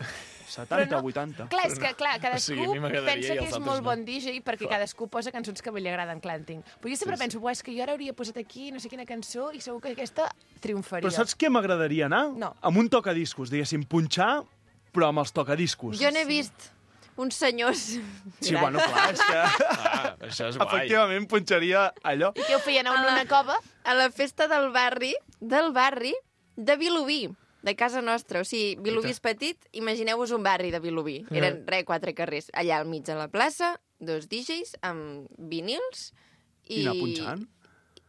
setanta, Però no- vuitanta. Clar, és que clar, cadascú O sigui, a mi m'agradaria pensa i que els és altres molt no. bon D J perquè cadascú posa cançons que a ell li agraden, clar, entenc. Però jo sempre Sí, sí. penso, "Buah, és que jo ara hauria posat aquí no sé quina cançó i segur que aquesta triomfaria. Però saps què m'agradaria anar? No. Amb un tocadiscos, diguéssim, punxar, però amb els tocadiscos. Jo n'he vist uns senyors... Sí, bueno, clar, és que Ah, això és guai. efectivament punxaria allò. I què ho feien, en A la- una cova? A la festa del barri, del barri de Vilobí, de casa nostra. O sigui, Vilobí és petit, imagineu-vos un barri de Vilobí. Eren, re, quatre carrers. Allà al mig de la plaça, dos D Js amb vinils I i... anar punxant.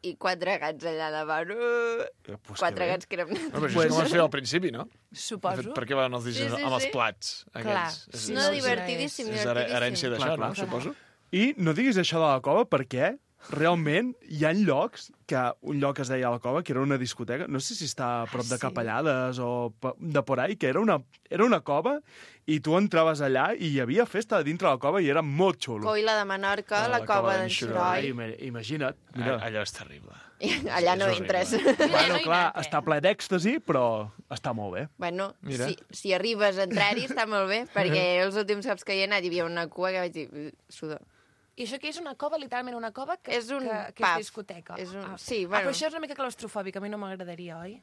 I quatre gats allà davant. Uh, Pues quatre que bé. gats que eren... No, però això és com es feia al principi, no? De Suposo. fet, per què van els D Js Sí, sí, amb els sí. plats? Clar. Aquells? És- No, és- divertidíssim, És her- herència divertidíssim. d'això, Clar, no? clar. Suposo. I no diguis això de la cova perquè realment hi ha llocs, que un lloc que es deia la cova, que era una discoteca, no sé si està a prop Ah, de sí? Capellades o pe- de por ahí, que era una, era una cova i tu entraves allà i hi havia festa dintre la cova i era molt xulo. Coila de Menorca, Ah, la, la cova cova d'en d'en Xuroi. Ima- Imagina't, mira. Ah, allò és terrible. Allà no és horrible. entres. Bueno, no hi clar, anat, eh? està ple d'èxtasi, però està molt bé. Bueno, Mira. si, si arribes a entrar-hi està molt bé, perquè els últims cops que hi he anat hi havia una cua que vaig dir, "Uh, sudor. I això que és una cova, literalment una cova que És un que, que pub. és discoteca. És un- Ah. sí, Ah, bueno. però això és una mica claustrofòbic, a mi no m'agradaria, oi?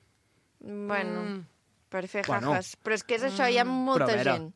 Bueno, Mm. per fer Bueno. jajas. Però és que és això, hi ha molta Però a veure, gent.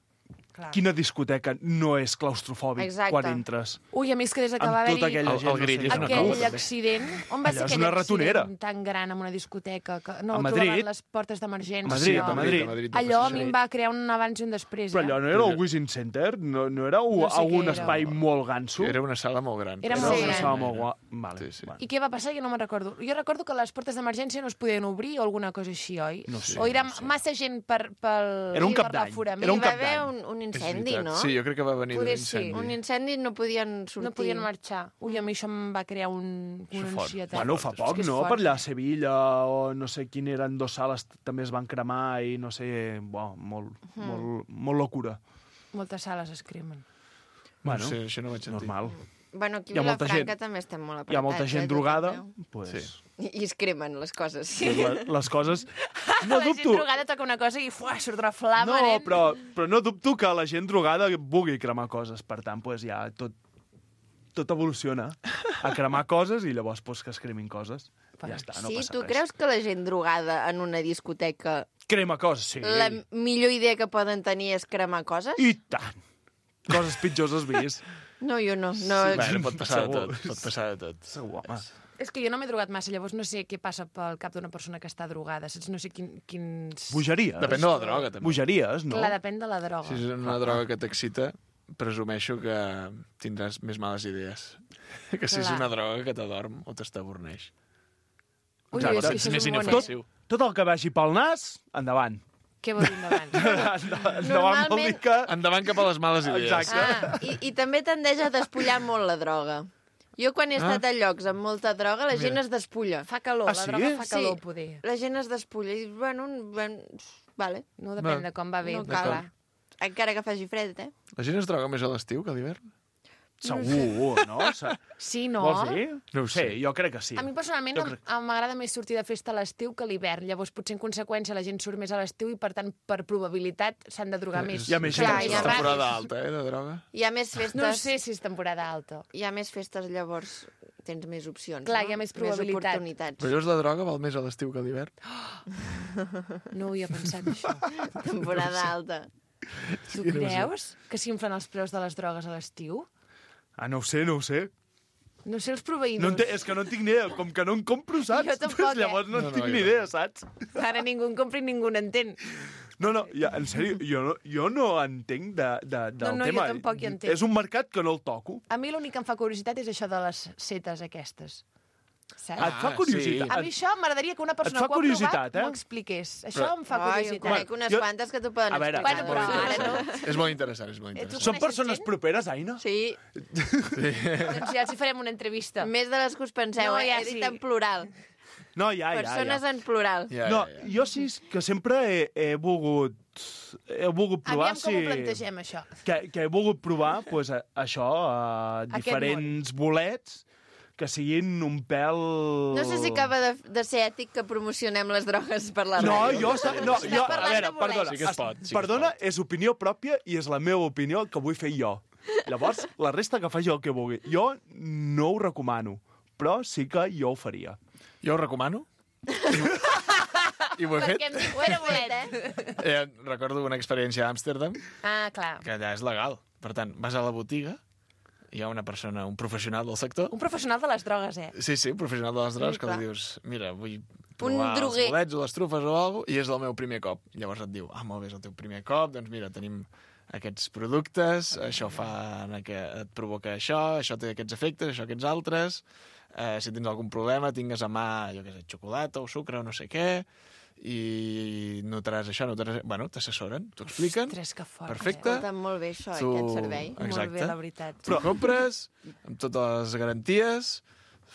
Clar. Quina discoteca no és claustrofòbic Exacte. quan entres? Ui, a mi és que des que Amb va tota haver-hi aquella El- gent... el grill és una aquell cova, també. accident... On va Allò ser és aquell una ratonera. accident tan gran amb una discoteca? Que, no, A Madrid. trobaven les portes d'emergència. A Madrid, allò. a Madrid. A Madrid. Allò a mi em va crear un abans i un després. Però eh? allò no era el Wishing Center? No, no era un, No sé algun què era. espai molt ganso? Era una sala molt gran. Era Era molt una gran. sala molt gua... Vale, Sí, sí. vale. I què va passar? Jo no me'n recordo. Jo recordo que les portes d'emergència no es podien obrir o alguna cosa així, oi? No sé, o era no sé. massa gent per, pel, Era un per cap d'any. l'aforament. Era un Hi va cap haver d'any. un, un És incendi, veritat. no? Sí, jo crec que va venir d'un Poder sí. incendi. Un incendi no podien sortir. No podien marxar. Ui, a mi això em va crear un, Això una fort. ansietat. Bueno, fa És poc, que és no? fort. Per allà a Sevilla o no sé quin eren dos sales també es van cremar i no sé... Bo, molt, molt, molt locura. Moltes sales es cremen. Bueno, no sé, això no ho vaig sentir. normal. Bueno, aquí Hi a ha molta Vilafranca gent- també estem molt apretats. Hi ha molta gent eh, tot drogada, arreu. pues, Sí. I, I es cremen les coses. les, les coses... No la gent dubto... drogada toca una cosa i fuà, surt una flama, No, nen. però, però no dubto que la gent drogada vulgui cremar coses. Per tant, pues, ja tot, tot evoluciona a cremar coses i llavors pues, que es cremin coses. Ja està, no sí, passa tu res. creus que la gent drogada en una discoteca Crema coses, sí. la millor idea que poden tenir és cremar coses? I tant. Coses pitjors has vist. No, jo no. no Sí, bueno, pot passar de Segur. tot. Pot passar de tot. Segur, home. És que jo no m'he drogat massa, llavors no sé què passa pel cap d'una persona que està drogada, saps? No sé quin, quins... Bogeries. Depèn de la droga, també. Bogeries, no? Clar, depèn de la droga. Si és una droga que t'excita, presumeixo que tindràs més males idees que si és Clar. una droga que t'adorm o t'estaborneix. Ui, Exacte. és que això És més és un bon... inofensiu. Tot el que vagi pel nas, endavant. Què vol dir endavant? endavant vol Normalment- dir que... Endavant cap a les males idees. Exacte. Ah, i, i també tendeix a despullar molt la droga. Jo quan he estat Ah. a llocs amb molta droga, la gent Mira. es despulla. Fa calor, Ah, la sí? droga fa Sí. calor, poder. La gent es despulla i, bueno, ben... vale. No depèn Va. de com va bé. No clar. cal. Encara que faci fred, eh? La gent es droga més a l'estiu que a l'hivern? Segur, no? Se- Sí, no? Vols dir? No ho sé. Sí, jo crec que sí. A mi personalment Jo em- crec- em- m'agrada més sortir de festa a l'estiu que a l'hivern. Llavors, potser en conseqüència la gent surt més a l'estiu i, per tant, per probabilitat s'han de drogar més. Hi ha més Clar, gent. hi ha És temporada més- alta, eh, de droga. Hi ha més festes... No sé si és temporada alta. Hi ha més festes, llavors tens més opcions, Clar, no? hi ha més probabilitat. Més oportunitats. Però llavors la droga val més a l'estiu que a l'hivern? No ho havia pensat, això. Temporada alta. Tu Sí, no ho sé. creus que s'inflen els preus de les drogues a l'estiu? Ah, no ho sé, no ho sé. No sé els proveïdors. No en té, és que no en tinc ni idea. Com que no en compro, saps? Jo tampoc, eh? Llavors no en No, no, tinc jo ni no. idea, saps? Ara ningú en compra i ningú n'entén. No, no, ja, en sèrio, jo no, jo no entenc de, de, del No, no, jo tema. tampoc hi entenc. És un mercat que no el toco. A mi l'únic que em fa curiositat és això de les setes aquestes. Saps? Et fa curiositat. A mi això m'agradaria que una persona fa que ho ha provat curiositat, eh? m'ho expliqués. Això Però- em fa Ai, jo curiositat. conec unes Jo- quantes que t'ho poden A veure, explicar. Bueno, però ara no. És molt interessant, és molt Eh, tu interessant. Són coneixes persones gent? properes, Aina? Sí, Doncs ja els hi farem una entrevista. més de les que us penseu, No, eh? ja He dit sí. en plural. No, ja, ja, Persones ja. en plural. Ja, No, ja, ja. jo sí que sempre he, he volgut he volgut provar Aviam com si... ho plantegem, això. Que, que he volgut provar pues, a, això, a Aquest diferents bolets que siguin un pèl... No sé si acaba de, de ser ètic que promocionem les drogues per la No, ràdio. jo... sa- No, Estem jo a parlant veure, de bolets. perdona. Sí que es pot, sí que es perdona, pot. és opinió pròpia i és la meva opinió que vull fer jo. Llavors, la resta que faci el que vulgui. Jo no ho recomano, però sí que jo ho faria. Jo ho recomano. I ho he fet. Perquè em dic, ho era bolet, eh? Eh, recordo una experiència a Amsterdam, Ah, clar. que allà és legal. Per tant, vas a la botiga, hi ha una persona, un professional del sector. Un professional de les drogues, eh? Sí, sí, un professional de les drogues, Sí, que clar. li dius, mira, vull provar els droguer. bolets o les trufes o alguna cosa, i és el meu primer cop. Llavors et diu, ah, molt bé, és el teu primer cop, doncs mira, tenim aquests productes, això fa que et provoca això, això té aquests efectes, això aquests altres, eh, si tens algun problema tingues a mà, jo què sé, xocolata o sucre o no sé què, i notaràs això, notaràs... Bueno, t'assessoren, t'ho expliquen. Ostres, que fort. Perfecte. Escolta, molt bé això, Tu- aquest servei. Exacte. Molt bé, la veritat. Tu compres, amb totes les garanties...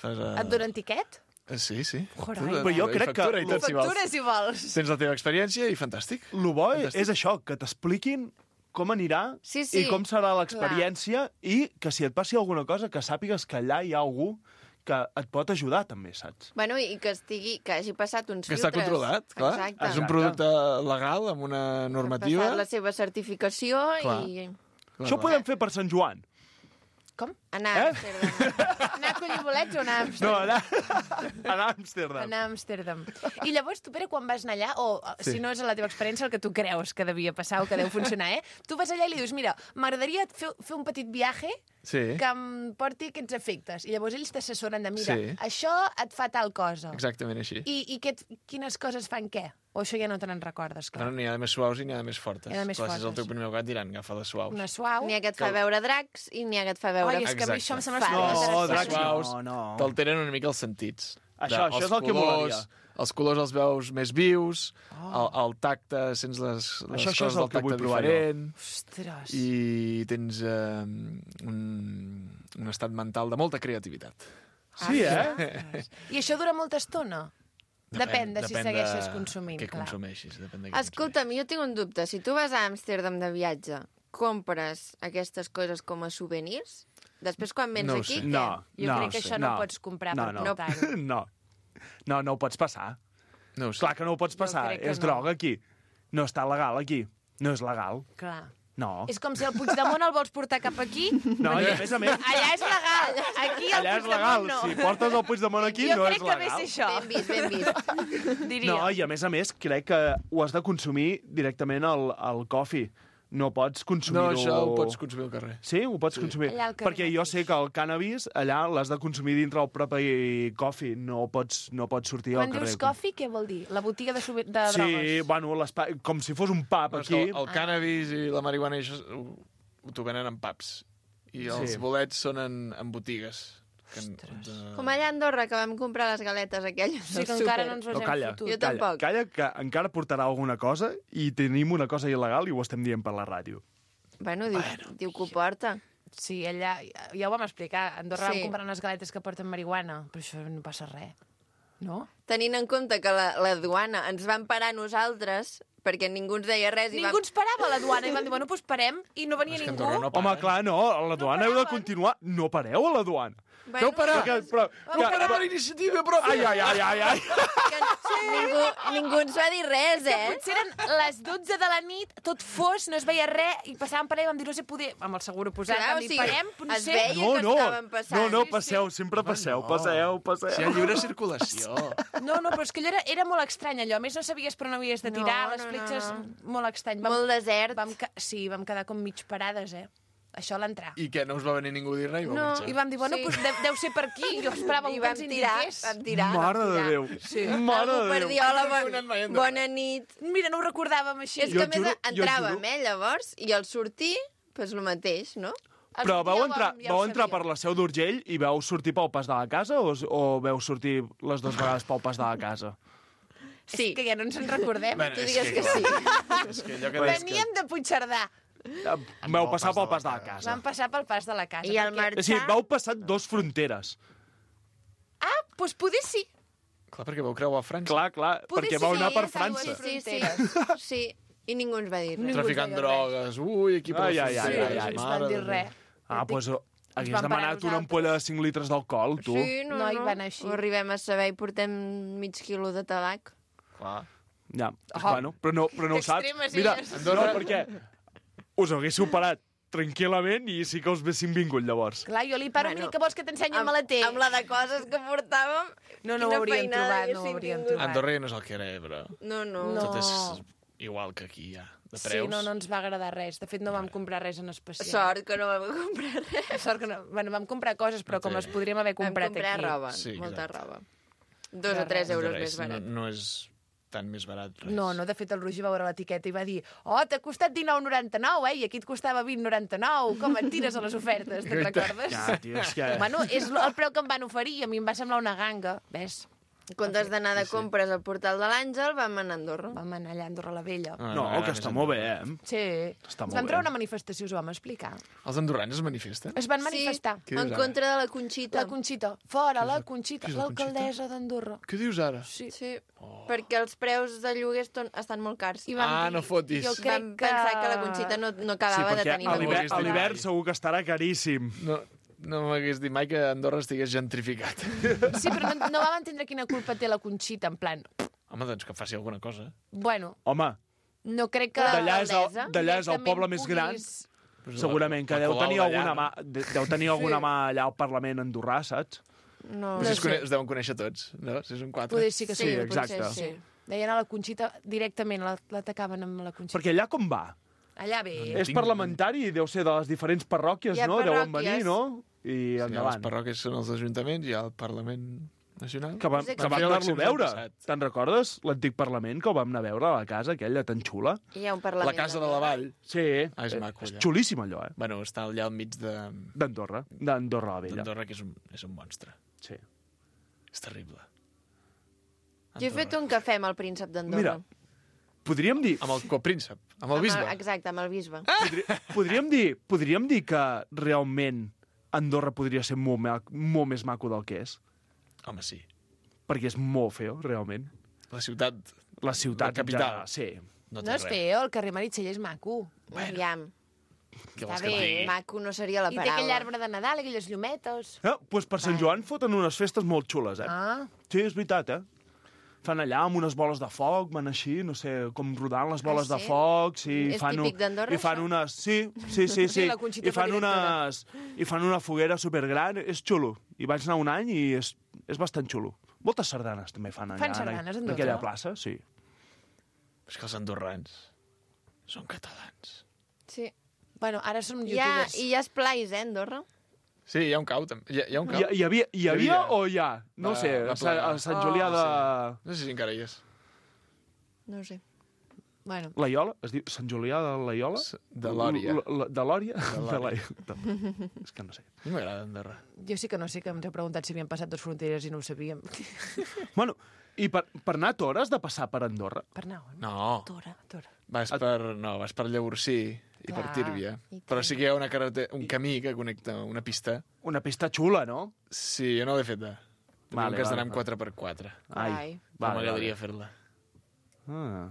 Fas, eh, Et donen tiquet? eh, Sí, sí. Carai. Tu, Però jo i crec que- factura I tot, si vols. Factura, si vols. Tens la teva experiència i fantàstic. El bo Fantàstic. és això, que t'expliquin com anirà Sí, sí. i com serà l'experiència i que si et passi alguna cosa que sàpigues que allà hi ha algú que et pot ajudar també, saps? Bueno, i que estigui, que hagi passat uns Que filtres. està controlat, clar. Exacte. És un producte legal, amb una Ha normativa. passat la seva certificació Clar. i Clar, Això ho clar. podem fer per Sant Joan. Com? anar Eh? a Amsterdam. Anar a collir bolets o anar a No, Amsterdam? anar, anar a Amsterdam. Anar a Amsterdam. I llavors, tu, Pere, quan vas anar allà, o Sí. si no és la teva experiència, el que tu creus que devia passar o que deu funcionar, eh? Tu vas allà i li dius, mira, m'agradaria fer, fer un petit viatge Sí, que em porti aquests efectes. I llavors ells t'assessoren de, mira, Sí. això et fa tal cosa. exactament així. I, i què, et- quines coses fan què? O això ja no te n'en recordes, clar. Bueno, n'hi ha de més suaus i n'hi ha de més fortes. N'hi ha de més Clar, si és el fortes. teu primer gat, diran, agafa les suaus. Una suau. N'hi ha que et fa Que- veure dracs i n'hi ha que et fa veure... Ai, és que a mi això em sembla Fades. superinteressant. No, Les dracs suaus no, no. t'alteren una mica els sentits. Això, De- això els és el que colors, molaria. Els colors els veus més vius, Oh. el, el tacte, sents les, les Això- això és coses el del que vull tacte provar jo. diferent, Ostres. i tens eh, un, un estat mental de molta creativitat. Sí, eh? I això dura molta estona? Depèn, de si depèn segueixes de consumint, què clar. consumeixis. Depèn de què Escolta'm, jo tinc un dubte. Si tu vas a Amsterdam de viatge, compres aquestes coses com a souvenirs? Després, quan vens No ho aquí, sé. què? No, Jo no crec ho que sé. això no no ho pots comprar no, per no. portar-ho. No. No, no ho pots passar. No ho sé. Clar que no ho pots Jo passar. crec que És no. droga aquí. No està legal aquí. No és legal. Clar. No. És com si el Puigdemont el vols portar cap aquí. No, i a més a més... Allà és legal. Aquí el Allà és legal. Puigdemont no. Si portes el Puigdemont aquí, jo no és crec que ve legal. ser això. Ben vist, ben vist. Diria. No, i a més a més, crec que ho has de consumir directament al, al coffee. No pots consumir-ho... No, això ho pots consumir al carrer. Sí? Ho pots Sí. consumir? Allà al carrer Perquè jo sé que el cannabis allà l'has de consumir dintre el propi coffee. No pots, no pots sortir Quan al carrer. dius coffee, què vol dir? La botiga de, subi- de Sí, drogues. bueno, l'espai- com si fos un pub Però és aquí. que el, el cannabis i la marihuana i això ho, ho t'ho venen en pubs. I els Sí. bolets són en, en botigues. Que, de... Com allà a Andorra, que vam comprar les galetes aquelles Sí, del que encara súper. no ens les No, hem calla, fotut. Jo calla, tampoc. calla, que encara portarà alguna cosa i tenim una cosa il·legal i ho estem dient per la ràdio. Bueno, diu, bueno, diu que ho porta. Sí, allà, ja ho vam explicar. A Andorra Sí. vam comprar unes galetes que porten marihuana, però això no passa res. No? Tenint en compte que la, la duana ens van parar a nosaltres perquè ningú ens deia res. Ningú ens parava a la duana i van dir, bueno, doncs parem, i no venia És que ningú. Andorra no Home, clar, no, a la duana heu de paraven. continuar. No pareu a la duana. Bueno, Veu parar! Que, però, Vam que, parar Per iniciativa pròpia! ai, ai, ai, ai, ai. Que ningú, ningú ens va dir res, Que eh? potser eren les dotze de la nit, tot fos, no es veia res, i passàvem per allà i vam dir, no sé poder... Amb el seguro posat, Clar, vam o dir, sigui, parem, es potser... veia No, que no, estaven passant. no, no, Sí, passeu, sempre passeu, no. passeu, passeu. Si hi ha lliure circulació. No, no, però és que allò era, era molt estrany, allò. A més, no sabies per on havies de tirar, No, les no, fletxes... no. Molt estrany. Molt desert. Vam, ca- sí, vam quedar com mig parades, eh? Això a l'entrar. I què, no us va venir ningú a dir res i vau No. marxar? I vam dir, bueno, Sí. pues, deu, deu ser per aquí. Jo esperava I algú que vam ens tirar, indiqués. vam tirar. Mare vam de tirar. Déu. Sí. Mare Algú de per Déu. dir, hola, No he anat mai a bon, Andorra. bona nit. Mira, no ho recordàvem així. És Jo que a més juro- jo entràvem, juro- eh, llavors, i al sortir, doncs el mateix, no? El Però sortir vau ja ho entrar, vam- ja ho vau entrar sabíem. per la Seu d'Urgell i vau sortir pel pas de la casa o, o vau sortir les dues vegades pel pas de la casa? Sí. És que ja no ens en recordem. Bueno, Tu és digues que clar. sí. És que allò que deies que... Veníem de Puigcerdà. Vau passar pel pas de la casa. Vam passar pel pas de la casa. I al perquè- marxar... O sigui, vau passar dos fronteres. Ah, doncs poder sí. Clar, perquè vau creuar a França. Clar, clar, Poder perquè sí, vau anar per ja sabeu, França. Sí, sí, Fronteres. sí. I ningú ens va dir res. Traficant ens deia drogues. Ui, aquí per Ai, les ai, ai, fronteres, ai, ai. ens mare van dir de Déu. res. Ah, doncs hagués van parar demanat una nosaltres. ampolla de cinc litres d'alcohol, tu. Sí, no, No, no. i van així. Ho arribem a saber i portem mig quilo de tabac. Clar. Ja, Oh. bueno, però no, però no ho saps. Extremes Mira, illes. no, perquè us haguéssiu parat tranquil·lament i sí que us haguéssim vingut llavors. Clar, jo li paro, Bueno, mira, que vols que t'ensenyi el Amb, maleter? amb la de coses que portàvem... No, no ho quina hauríem feinada trobat, no ho haguéssim hauríem tingut. trobat. Andorra ja no és el que era, eh, però No, no. No. tot és igual que aquí, ja. De Sí, preus. no, no ens va agradar res. De fet, no vam comprar res en especial. Sort que no vam comprar res. Sort que no. Bueno, vam comprar coses, però com Sí. les podríem haver Vam comprat comprar aquí. roba, Sí, molta exacte. roba. Dos De o tres res. euros De més res, barat. No, no és tan més barat. Res. No, no, de fet, el Roger va veure l'etiqueta i va dir oh, t'ha costat dinou noranta-nou, eh? I aquí et costava vint noranta-nou. Com et tires a les ofertes, te'n recordes? Ja, tio, és que... Bueno, és el preu que em van oferir i a mi em va semblar una ganga. Ves? En comptes d'anar de compres al portal de l'Àngel, vam anar a Andorra. Vam anar allà a Andorra la Vella. Ah, No, m'agrada que més està Andorra. molt bé, eh? Sí. Està Ens molt vam bé. treure una manifestació, us ho vam explicar. Els andorrans es manifesten? Es van manifestar. Sí, Què en dius contra de la Conxita. La Conxita. Fora, la Conxita. qui és la Conxita? L'alcaldessa d'Andorra. Què dius ara? Sí. Sí, perquè els preus de lloguers ton- estan molt cars. I vam Ah, dir- no fotis. Jo crec Vam que... pensar que la Conxita no, no Sí, acabava de perquè tenir a la l'hivern- Conxita. a l'hivern segur que estarà caríssim. No, no m'hagués dit mai que Andorra estigués gentrificat. Sí, però no, no vam entendre quina culpa té la Conxita, en plan... Home, doncs que faci alguna cosa. Bueno, Home, no crec que... d'allà és, el, l'alcaldessa d'allà és el directament poble més gran. puguis- Pues Segurament que la deu Colau tenir d'allà, alguna no? mà, de- deu tenir alguna mà allà al Parlament andorrà, saps? No, Pues No es, sé. cone- es deuen conèixer tots, no? Si són quatre. Poder sí que sí. Sí, potser exacte. Sí. Deien a la Conxita directament, la- l'atacaven amb la Conxita. Perquè allà com va? Allà bé. És tinc- parlamentari, deu ser de les diferents parròquies, Hi ha no? Deuen parròquies. venir, no? I Sí, les endavant. parròquies són els ajuntaments, hi ha el Parlament Nacional. Que vam, Doncs que vam fer anar-lo a eleccions l'any veure. passat. Te'n recordes? L'antic Parlament, que el vam anar a veure a la casa, aquella tan xula. Hi ha un La parlament. Casa de la Vall. Sí. Ah, és eh, maco, És allà. xulíssim, allò, eh? Bueno, està allà al mig de- D'Andorra. D'Andorra la Vella. d'Andorra, que és un, és un monstre. Sí. És terrible. Jo he fet un cafè amb el príncep d'Andorra. Mira, podríem dir... Amb el copríncep, amb el bisbe. Exacte, amb el bisbe. Podri, podríem dir, podríem dir que realment Andorra podria ser molt, ma- molt més maco del que és. Home, sí. Perquè és molt feo, realment. La ciutat... La ciutat La capital. en general, sí. No, té No és res. feo, el carrer Meritxell és maco. Aviam. Què Està vols que et bé, digui? maco no seria la I té paraula. aquell arbre de Nadal, aquelles llumetes. Eh, doncs per Sant Joan foten unes festes molt xules, eh? Ah. Sí, és veritat, eh? Fan allà amb unes boles de foc, van així, no sé, com rodant les boles Ah, de sí? foc. Sí, És fan típic d'Andorra, I fan això? unes... Sí, sí, sí. Sí, sí. la Conxita I fan fa directora. unes... I fan una foguera supergran. És xulo. I vaig anar un any i és, és bastant xulo. Moltes sardanes també fan allà. Fan sardanes, en Andorra? aquella plaça, sí. És que els andorrans són catalans. Sí. Bueno, ara som Hi ha, youtubers. I hi ha esplais, eh, Andorra? Sí, hi ha un cau, també. Hi ha, hi ha un cau. Hi, hi, havia, hi havia o hi ha? No Va- sé, va a Sant, plegar. a Sant Julià de... Oh, sí. No sé si encara hi és. No ho sé. Bueno. La Iola? Es diu Sant Julià de la Iola? De Lòria. L- l- De Lòria? De De Lòria. la... És que no sé. A mi m'agrada Andorra. Jo sí que no sé, que ens heu preguntat si havien passat dos fronteres i no ho sabíem. Bueno, i per, per anar a Tora has de passar per Andorra? Per anar on? No. Tora, Tora. Vas per, no, vas per Llavorsí i per Clar, Tírvia. i Però sí que hi ha una carrete, un camí que connecta una pista. Una pista xula, no? Sí, jo no l'he feta. Vale, Vale, que has vale, d'anar amb vale. quatre per quatre. Ai, Ai. Però vale, m'agradaria vale. fer-la. Ah,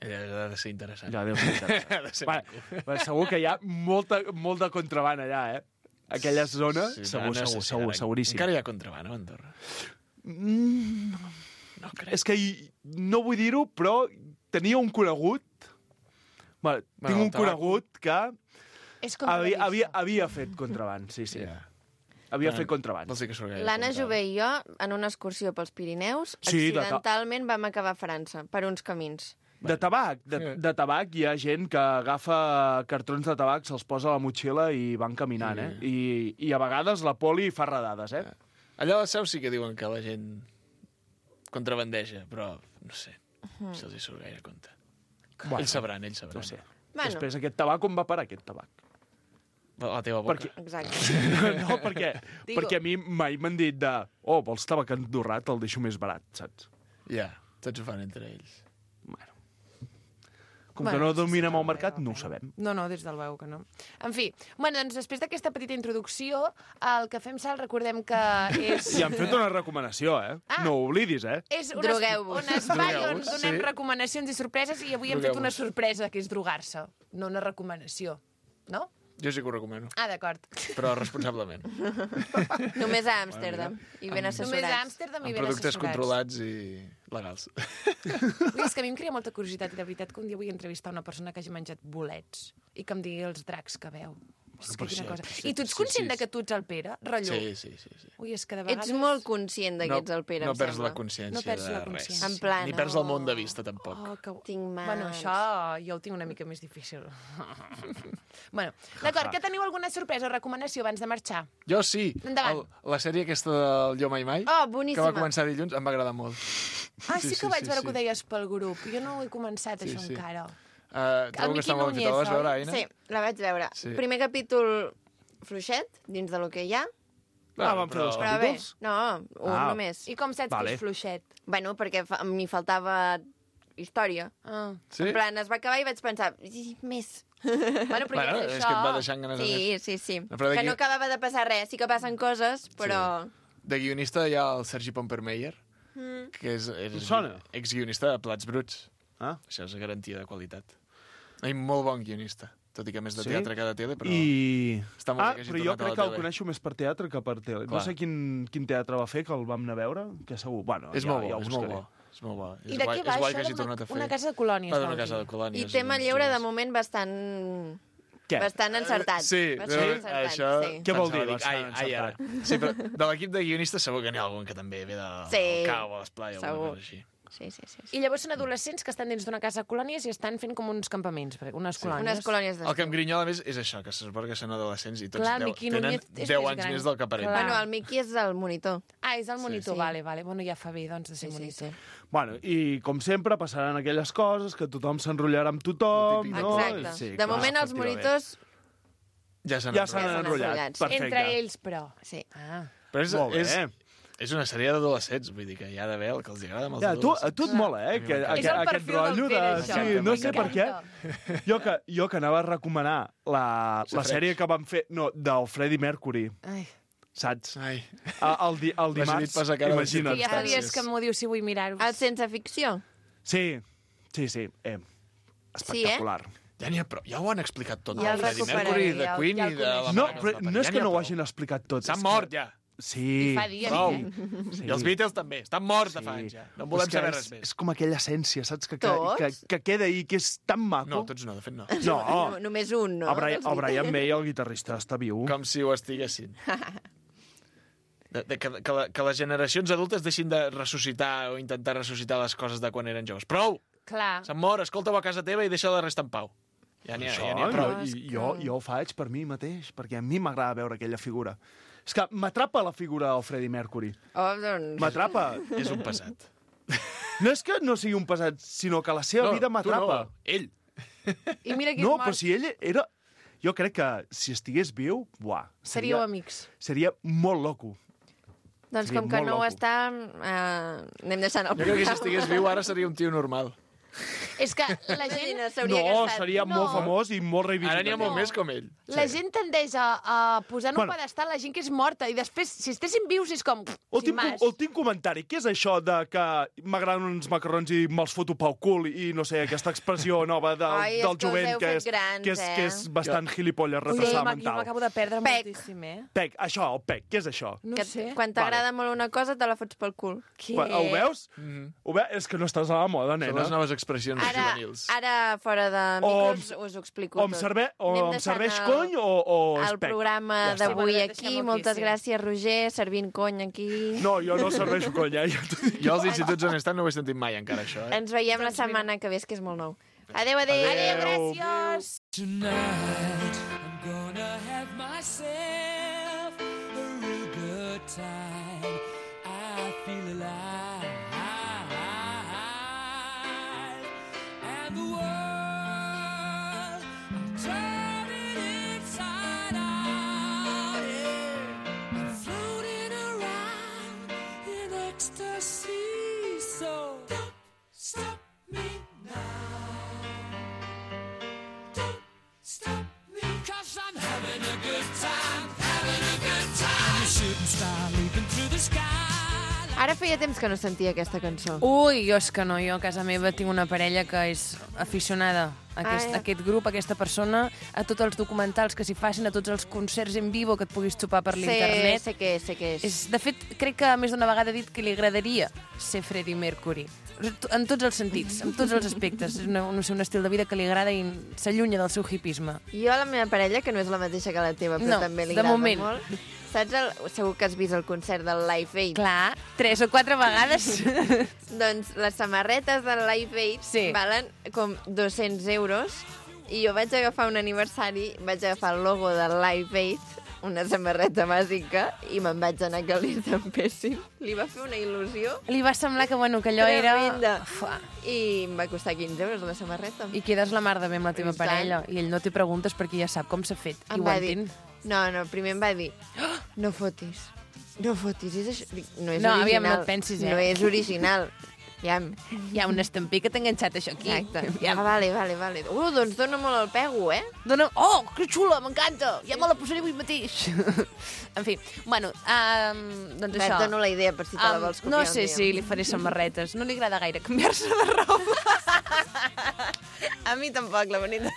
Ella ha de ser interessant. ja deu ser interessant. Ha de ser Vale, maco. vale, segur que hi ha molta, molt de contraban allà, eh? Aquella zona, Sí, segur, no sé segur, si segur, ara- seguríssim. Encara hi ha contraban a Andorra. Mm, No crec. és que hi- no vull dir-ho, però tenia un conegut... Vale, Bueno, tinc el un tabac. conegut que És havia, contradicció. havia, havia fet contraban, sí, sí. Ja. Havia Ah, fet contraban. Vols dir que surt gaire L'Anna contraban. Jové i jo, en una excursió pels Pirineus, Sí, de ta- accidentalment vam acabar a França, per uns camins. De tabac, de, de tabac hi ha gent que agafa cartrons de tabac, se'ls posa a la motxilla i van caminant, eh? I, I a vegades la poli fa redades, eh? Allà a la Seu sí que diuen que la gent contrabandeja, però no sé, Mhm. si els hi surt gaire compte. Bueno, ells sabran, ells sabran. No sé. Bueno. Després aquest tabac, on va parar aquest tabac? A la teva boca. Perquè... Exacte. No, perquè, Digo. perquè a mi mai m'han dit de oh, vols tabac andorrà, te'l deixo més barat, saps? Ja, tots ho fan entre ells. Bueno. Com Bueno, que no sí, sí, dominem sí, el mercat, veu, no ho veu. sabem. No, no, des del veu que no. En fi, bueno, doncs després d'aquesta petita introducció, el que fem sal, recordem que és... I han fet una recomanació, eh? Ah. No ho oblidis, eh? És un, Drogueu-vos. un espai on Drogueu-vos, donem sí. recomanacions i sorpreses i avui hem fet Drogueu-vos. una sorpresa, que és drogar-se, no una recomanació. No? Jo sí que ho recomano, Ah, d'acord. però responsablement. Només a Amsterdam. I ben Només a assessorats. Amsterdam i Amb ben productes assessorats. controlats i legals. Ui, és que a mi em crea molta curiositat i de veritat que un dia vull entrevistar una persona que hagi menjat bolets i que em digui els dracs que veu. És que però quina sí, cosa. sí, I tu ets sí, conscient sí, de que tu ets el Pere? Rotllo. Sí, sí, sí. sí. Ui, és que de vegades... Ets molt conscient de que ets el Pere, no em perds sembla. la consciència No perds de la res. consciència. En plan, Ni perds el món de vista, tampoc. Oh, que... Tinc mans. Bueno, això jo el tinc una mica més difícil. bueno, d'acord, que teniu alguna sorpresa o recomanació abans de marxar? Jo sí. Endavant. El, la sèrie aquesta del Jo Mai Mai, Oh, que boníssima. va començar dilluns, em va agradar molt. Ah, sí, Sí, que sí, vaig sí, veure sí. que ho deies pel grup. Jo no ho he començat, Sí, això, sí. encara. Uh, trobo que Miqui està molt bé. Te la vas Núñez, veure, oi? Aina? Sí, la vaig veure. Sí. Primer capítol fluixet, dins de lo que hi ha. Ah, van fer dos Però bé, capítols? no, un Ah. només. I com saps Vale. que és fluixet? Bueno, perquè fa, m'hi faltava història. Ah. Sí? En plan, es va acabar i vaig pensar, "Ih, més. Bueno, però Bueno, ja és és això. que et va deixant ganes de Sí, més. sí, sí. No, però Que d'aquí- no acabava de passar res. Sí que passen coses, però... De guionista hi ha el Sergi Pompermeyer, Mm. que és, és Em sona. exguionista de Plats Bruts. Ah. Això és garantia de qualitat. I molt bon guionista, tot i que més de Sí? teatre que de tele, però... I... Està molt Ah, bé que hagi però jo tornat a la crec que el tele. coneixo més per teatre que per tele. No Clar. sé quin, quin teatre va fer, que el vam anar a veure, que segur... Bueno, És ja, molt bo, ja ho és molt buscaré. bo. És molt bo. I És de guai, què va és guai això que hagi d'una- tornat a fer. una casa de colònies, Va vau d'una casa dir? de colònies. I tema doncs, lleure, és- de moment, bastant... Què? Bastant encertat. Sí, bastant però encertat, això... sí. Què vol dir, Pensava, bastant Ai, ai, ara. encertat? Sí, però de l'equip de guionistes segur que n'hi ha algun que també ve de, Sí. del cau o l'esplai o alguna Segur. cosa així. Sí, sí, sí. sí. I llavors són adolescents que estan dins d'una casa de colònies i estan fent com uns campaments, unes colònies. Unes colònies El que em d'estiu. grinyola més és això, que se suposa que són adolescents i tots Clar, el deu, Miqui tenen Núñez és deu més anys gran. més del que aparent. Clar. Bueno, el Miqui és el monitor. Ah, és el monitor, Sí. vale, vale. Bueno, ja fa bé, doncs, de ser Sí, sí, monitor. sí. Bueno, i com sempre passaran aquelles coses que tothom s'enrotllarà amb tothom, El típic. no? Exacte. Sí, de clar, moment, els efectivament. monitors... Ja s'han Ja s'han enrotllat. enrotllat. enrotllats. Perfecte. Entre ells, però. Sí. Ah. Però és, Molt bé. és, és una sèrie d'adolescents, vull dir que hi ha d'haver el que els agrada amb els Ja, a tu, a adolescents. tu et mola, eh? A mi Que, m'encanta. És aquest, el aquest perfil del rotllo de... Pere, això. Sí, no sé per què. M'encanta. Jo que, jo que anava a recomanar la, la Safareig. sèrie que vam fer... No, del Freddie Mercury, Ai, saps? Ai, El, el, di, el M'has dimarts, dit pas a cara de imagina't. que ja fa Gràcies. dies que m'ho dius si vull mirar-ho. El sense ficció. Sí, sí, sí. Eh, espectacular. Ja n'hi ha prou. Ja ho han explicat tot. Ja el de Freddie recuperaré, Mercury, de ja el- Queen ja i el de la coneixo. No, mare que però els va parir. no és Ja que n'hi ha no ho prou. hagin explicat tot. S'han és mort, que... ja. Sí. I fa dies, Prou. eh? Sí. I els Beatles també. Estan morts de fa anys, ja. No en volem És que saber és, res més. És com aquella essència, saps? Que, que, Tots? que, que queda ahí, que és tan maco. No, tots no, de fet no. No. No, només un, no? El Brian, dels el Brian May, el guitarrista, està viu. Com si ho estiguessin. De, de, que, que, la, que les generacions adultes deixin de ressuscitar o intentar ressuscitar les coses de quan eren joves. Prou! Clar. Se'n mor, escolta-ho a casa teva i deixa la resta en pau. Ja n'hi ha, Això, ja n'hi ha prou. jo, i, jo, jo ho faig per mi mateix, perquè a mi m'agrada veure aquella figura. És que m'atrapa la figura del Freddie Mercury. Oh, doncs... M'atrapa. És un passat. No és que no sigui un pesat, sinó que la seva No, vida tu m'atrapa. no, ell. I mira que és No, mort. però si ell era... Jo crec que si estigués viu, buah, Seríeu seria, amics. seria molt loco. Doncs Seria com que molt no ho loco. està, eh, anem deixant el Jo crec que si estigués viu ara seria un tio normal. És que la gent... No, s'hauria No, gastat. seria molt No. famós i molt Ara n'hi ha reivindicatiu. molt més com ell. La gent tendeix a, a posar en un Bueno. pedestal la gent que és morta i després, si estessin vius, és com... Últim, sin más. últim comentari. Què és això de que m'agraden uns macarrons i me'ls foto pel cul i no sé, aquesta expressió nova del, Ai, és del que us jovent heu que fet és, grans, que és, eh? que és bastant gilipolles, Ui, retrasada m'ha- jo mental. m'acabo de perdre Pec. moltíssim, eh? Pec, això, el pec, què és això? No Que, sé. quan t'agrada molt una cosa, te la fots pel cul. Què? Quan, ho veus? Mm Ho veus? És que no estàs a la moda, Són nena. les noves expressions Ara, juvenils. ara fora de O micros, us ho explico O em, tot. serve, o Anem em deixant serveix el- cony o, o El espec. programa Ja està. d'avui Sí, va, aquí. deixem-ho aquí, Moltes sí. gràcies, Roger, servint cony aquí. No, jo no serveixo cony, eh? Jo t'ho dic. Jo als instituts on he estat no ho he sentit mai encara, això. Eh? Ens veiem la setmana que ve, és que és molt nou. Adéu, adéu. Adéu. Gràcies! Tonight, I'm gonna have myself a real good time. I feel alive. And the world, I'm turning inside out. Yeah. I'm floating around in ecstasy. So don't stop me now. Don't stop me, 'cause I'm having a good time, having a good time. I'm a shooting star leaping through the sky. Ara feia temps que no sentia aquesta cançó. Ui, jo és que no, jo a casa meva tinc una parella que és aficionada a aquest, Ah, a aquest grup, a aquesta persona, a tots els documentals que s'hi facin, a tots els concerts en vivo que et puguis topar per sé, l'internet. sé què és, sé què és. És, de fet, crec que més d'una vegada ha dit que li agradaria ser Freddie Mercury. En tots els sentits, en tots els aspectes. És una, no sé, un estil de vida que li agrada i s'allunya del seu hipisme. Jo, la meva parella, que no és la mateixa que la teva, però No, també li de agrada moment. molt. Saps? El, segur que has vist el concert del Live Aid. Clar, tres o quatre vegades. Doncs les samarretes del Live Aid Sí. valen com dos-cents euros i jo vaig agafar un aniversari, vaig agafar el logo del Live Aid, una samarreta bàsica, i me'n vaig anar que li estampessin. Li va fer una il·lusió Li va semblar que, bueno, que allò era... tremenda. Fa. I em va costar quinze euros la samarreta. I quedes la mar de bé amb la teva I tant. parella. I ell no té preguntes perquè ja sap com s'ha fet. I Em ho va dir, entén. no, no, primer em va dir, no fotis, no fotis, és això. Dic, no és No, original. aviam, no et pensis, eh? No és original. Aviam. Hi ha un estampí que t'ha enganxat això aquí. Exacte. Ah, vale, vale, vale. Uh, doncs dona molt el pego, eh? Dona... Oh, que xula, m'encanta! Ja me la posaré avui mateix. En fi, bueno, um, doncs Va, això. et dono la idea per si te la Em, vols copiar No un sé dia. si li faré samarretes. No li agrada gaire canviar-se de roba. A mi tampoc, la veritat.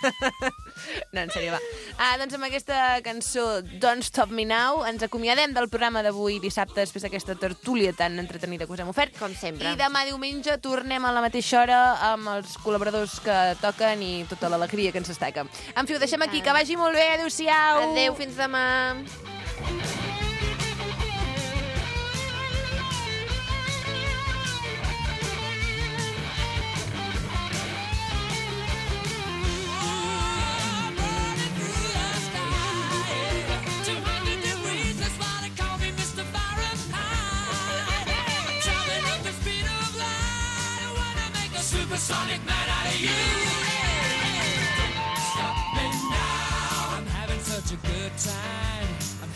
No, en sèrio, va. Ah, doncs amb aquesta cançó Don't Stop Me Now ens acomiadem del programa d'avui dissabte després d'aquesta tertúlia tan entretenida que us hem ofert. Com sempre. I demà diumenge tornem a la mateixa hora amb els col·laboradors que toquen i tota l'alegria que ens destaca. En fi, ho deixem aquí. Que vagi molt bé. Adéu-siau. Adéu, fins demà. Supersonic man out of you. Don't stop me now. I'm having such a good time. I'm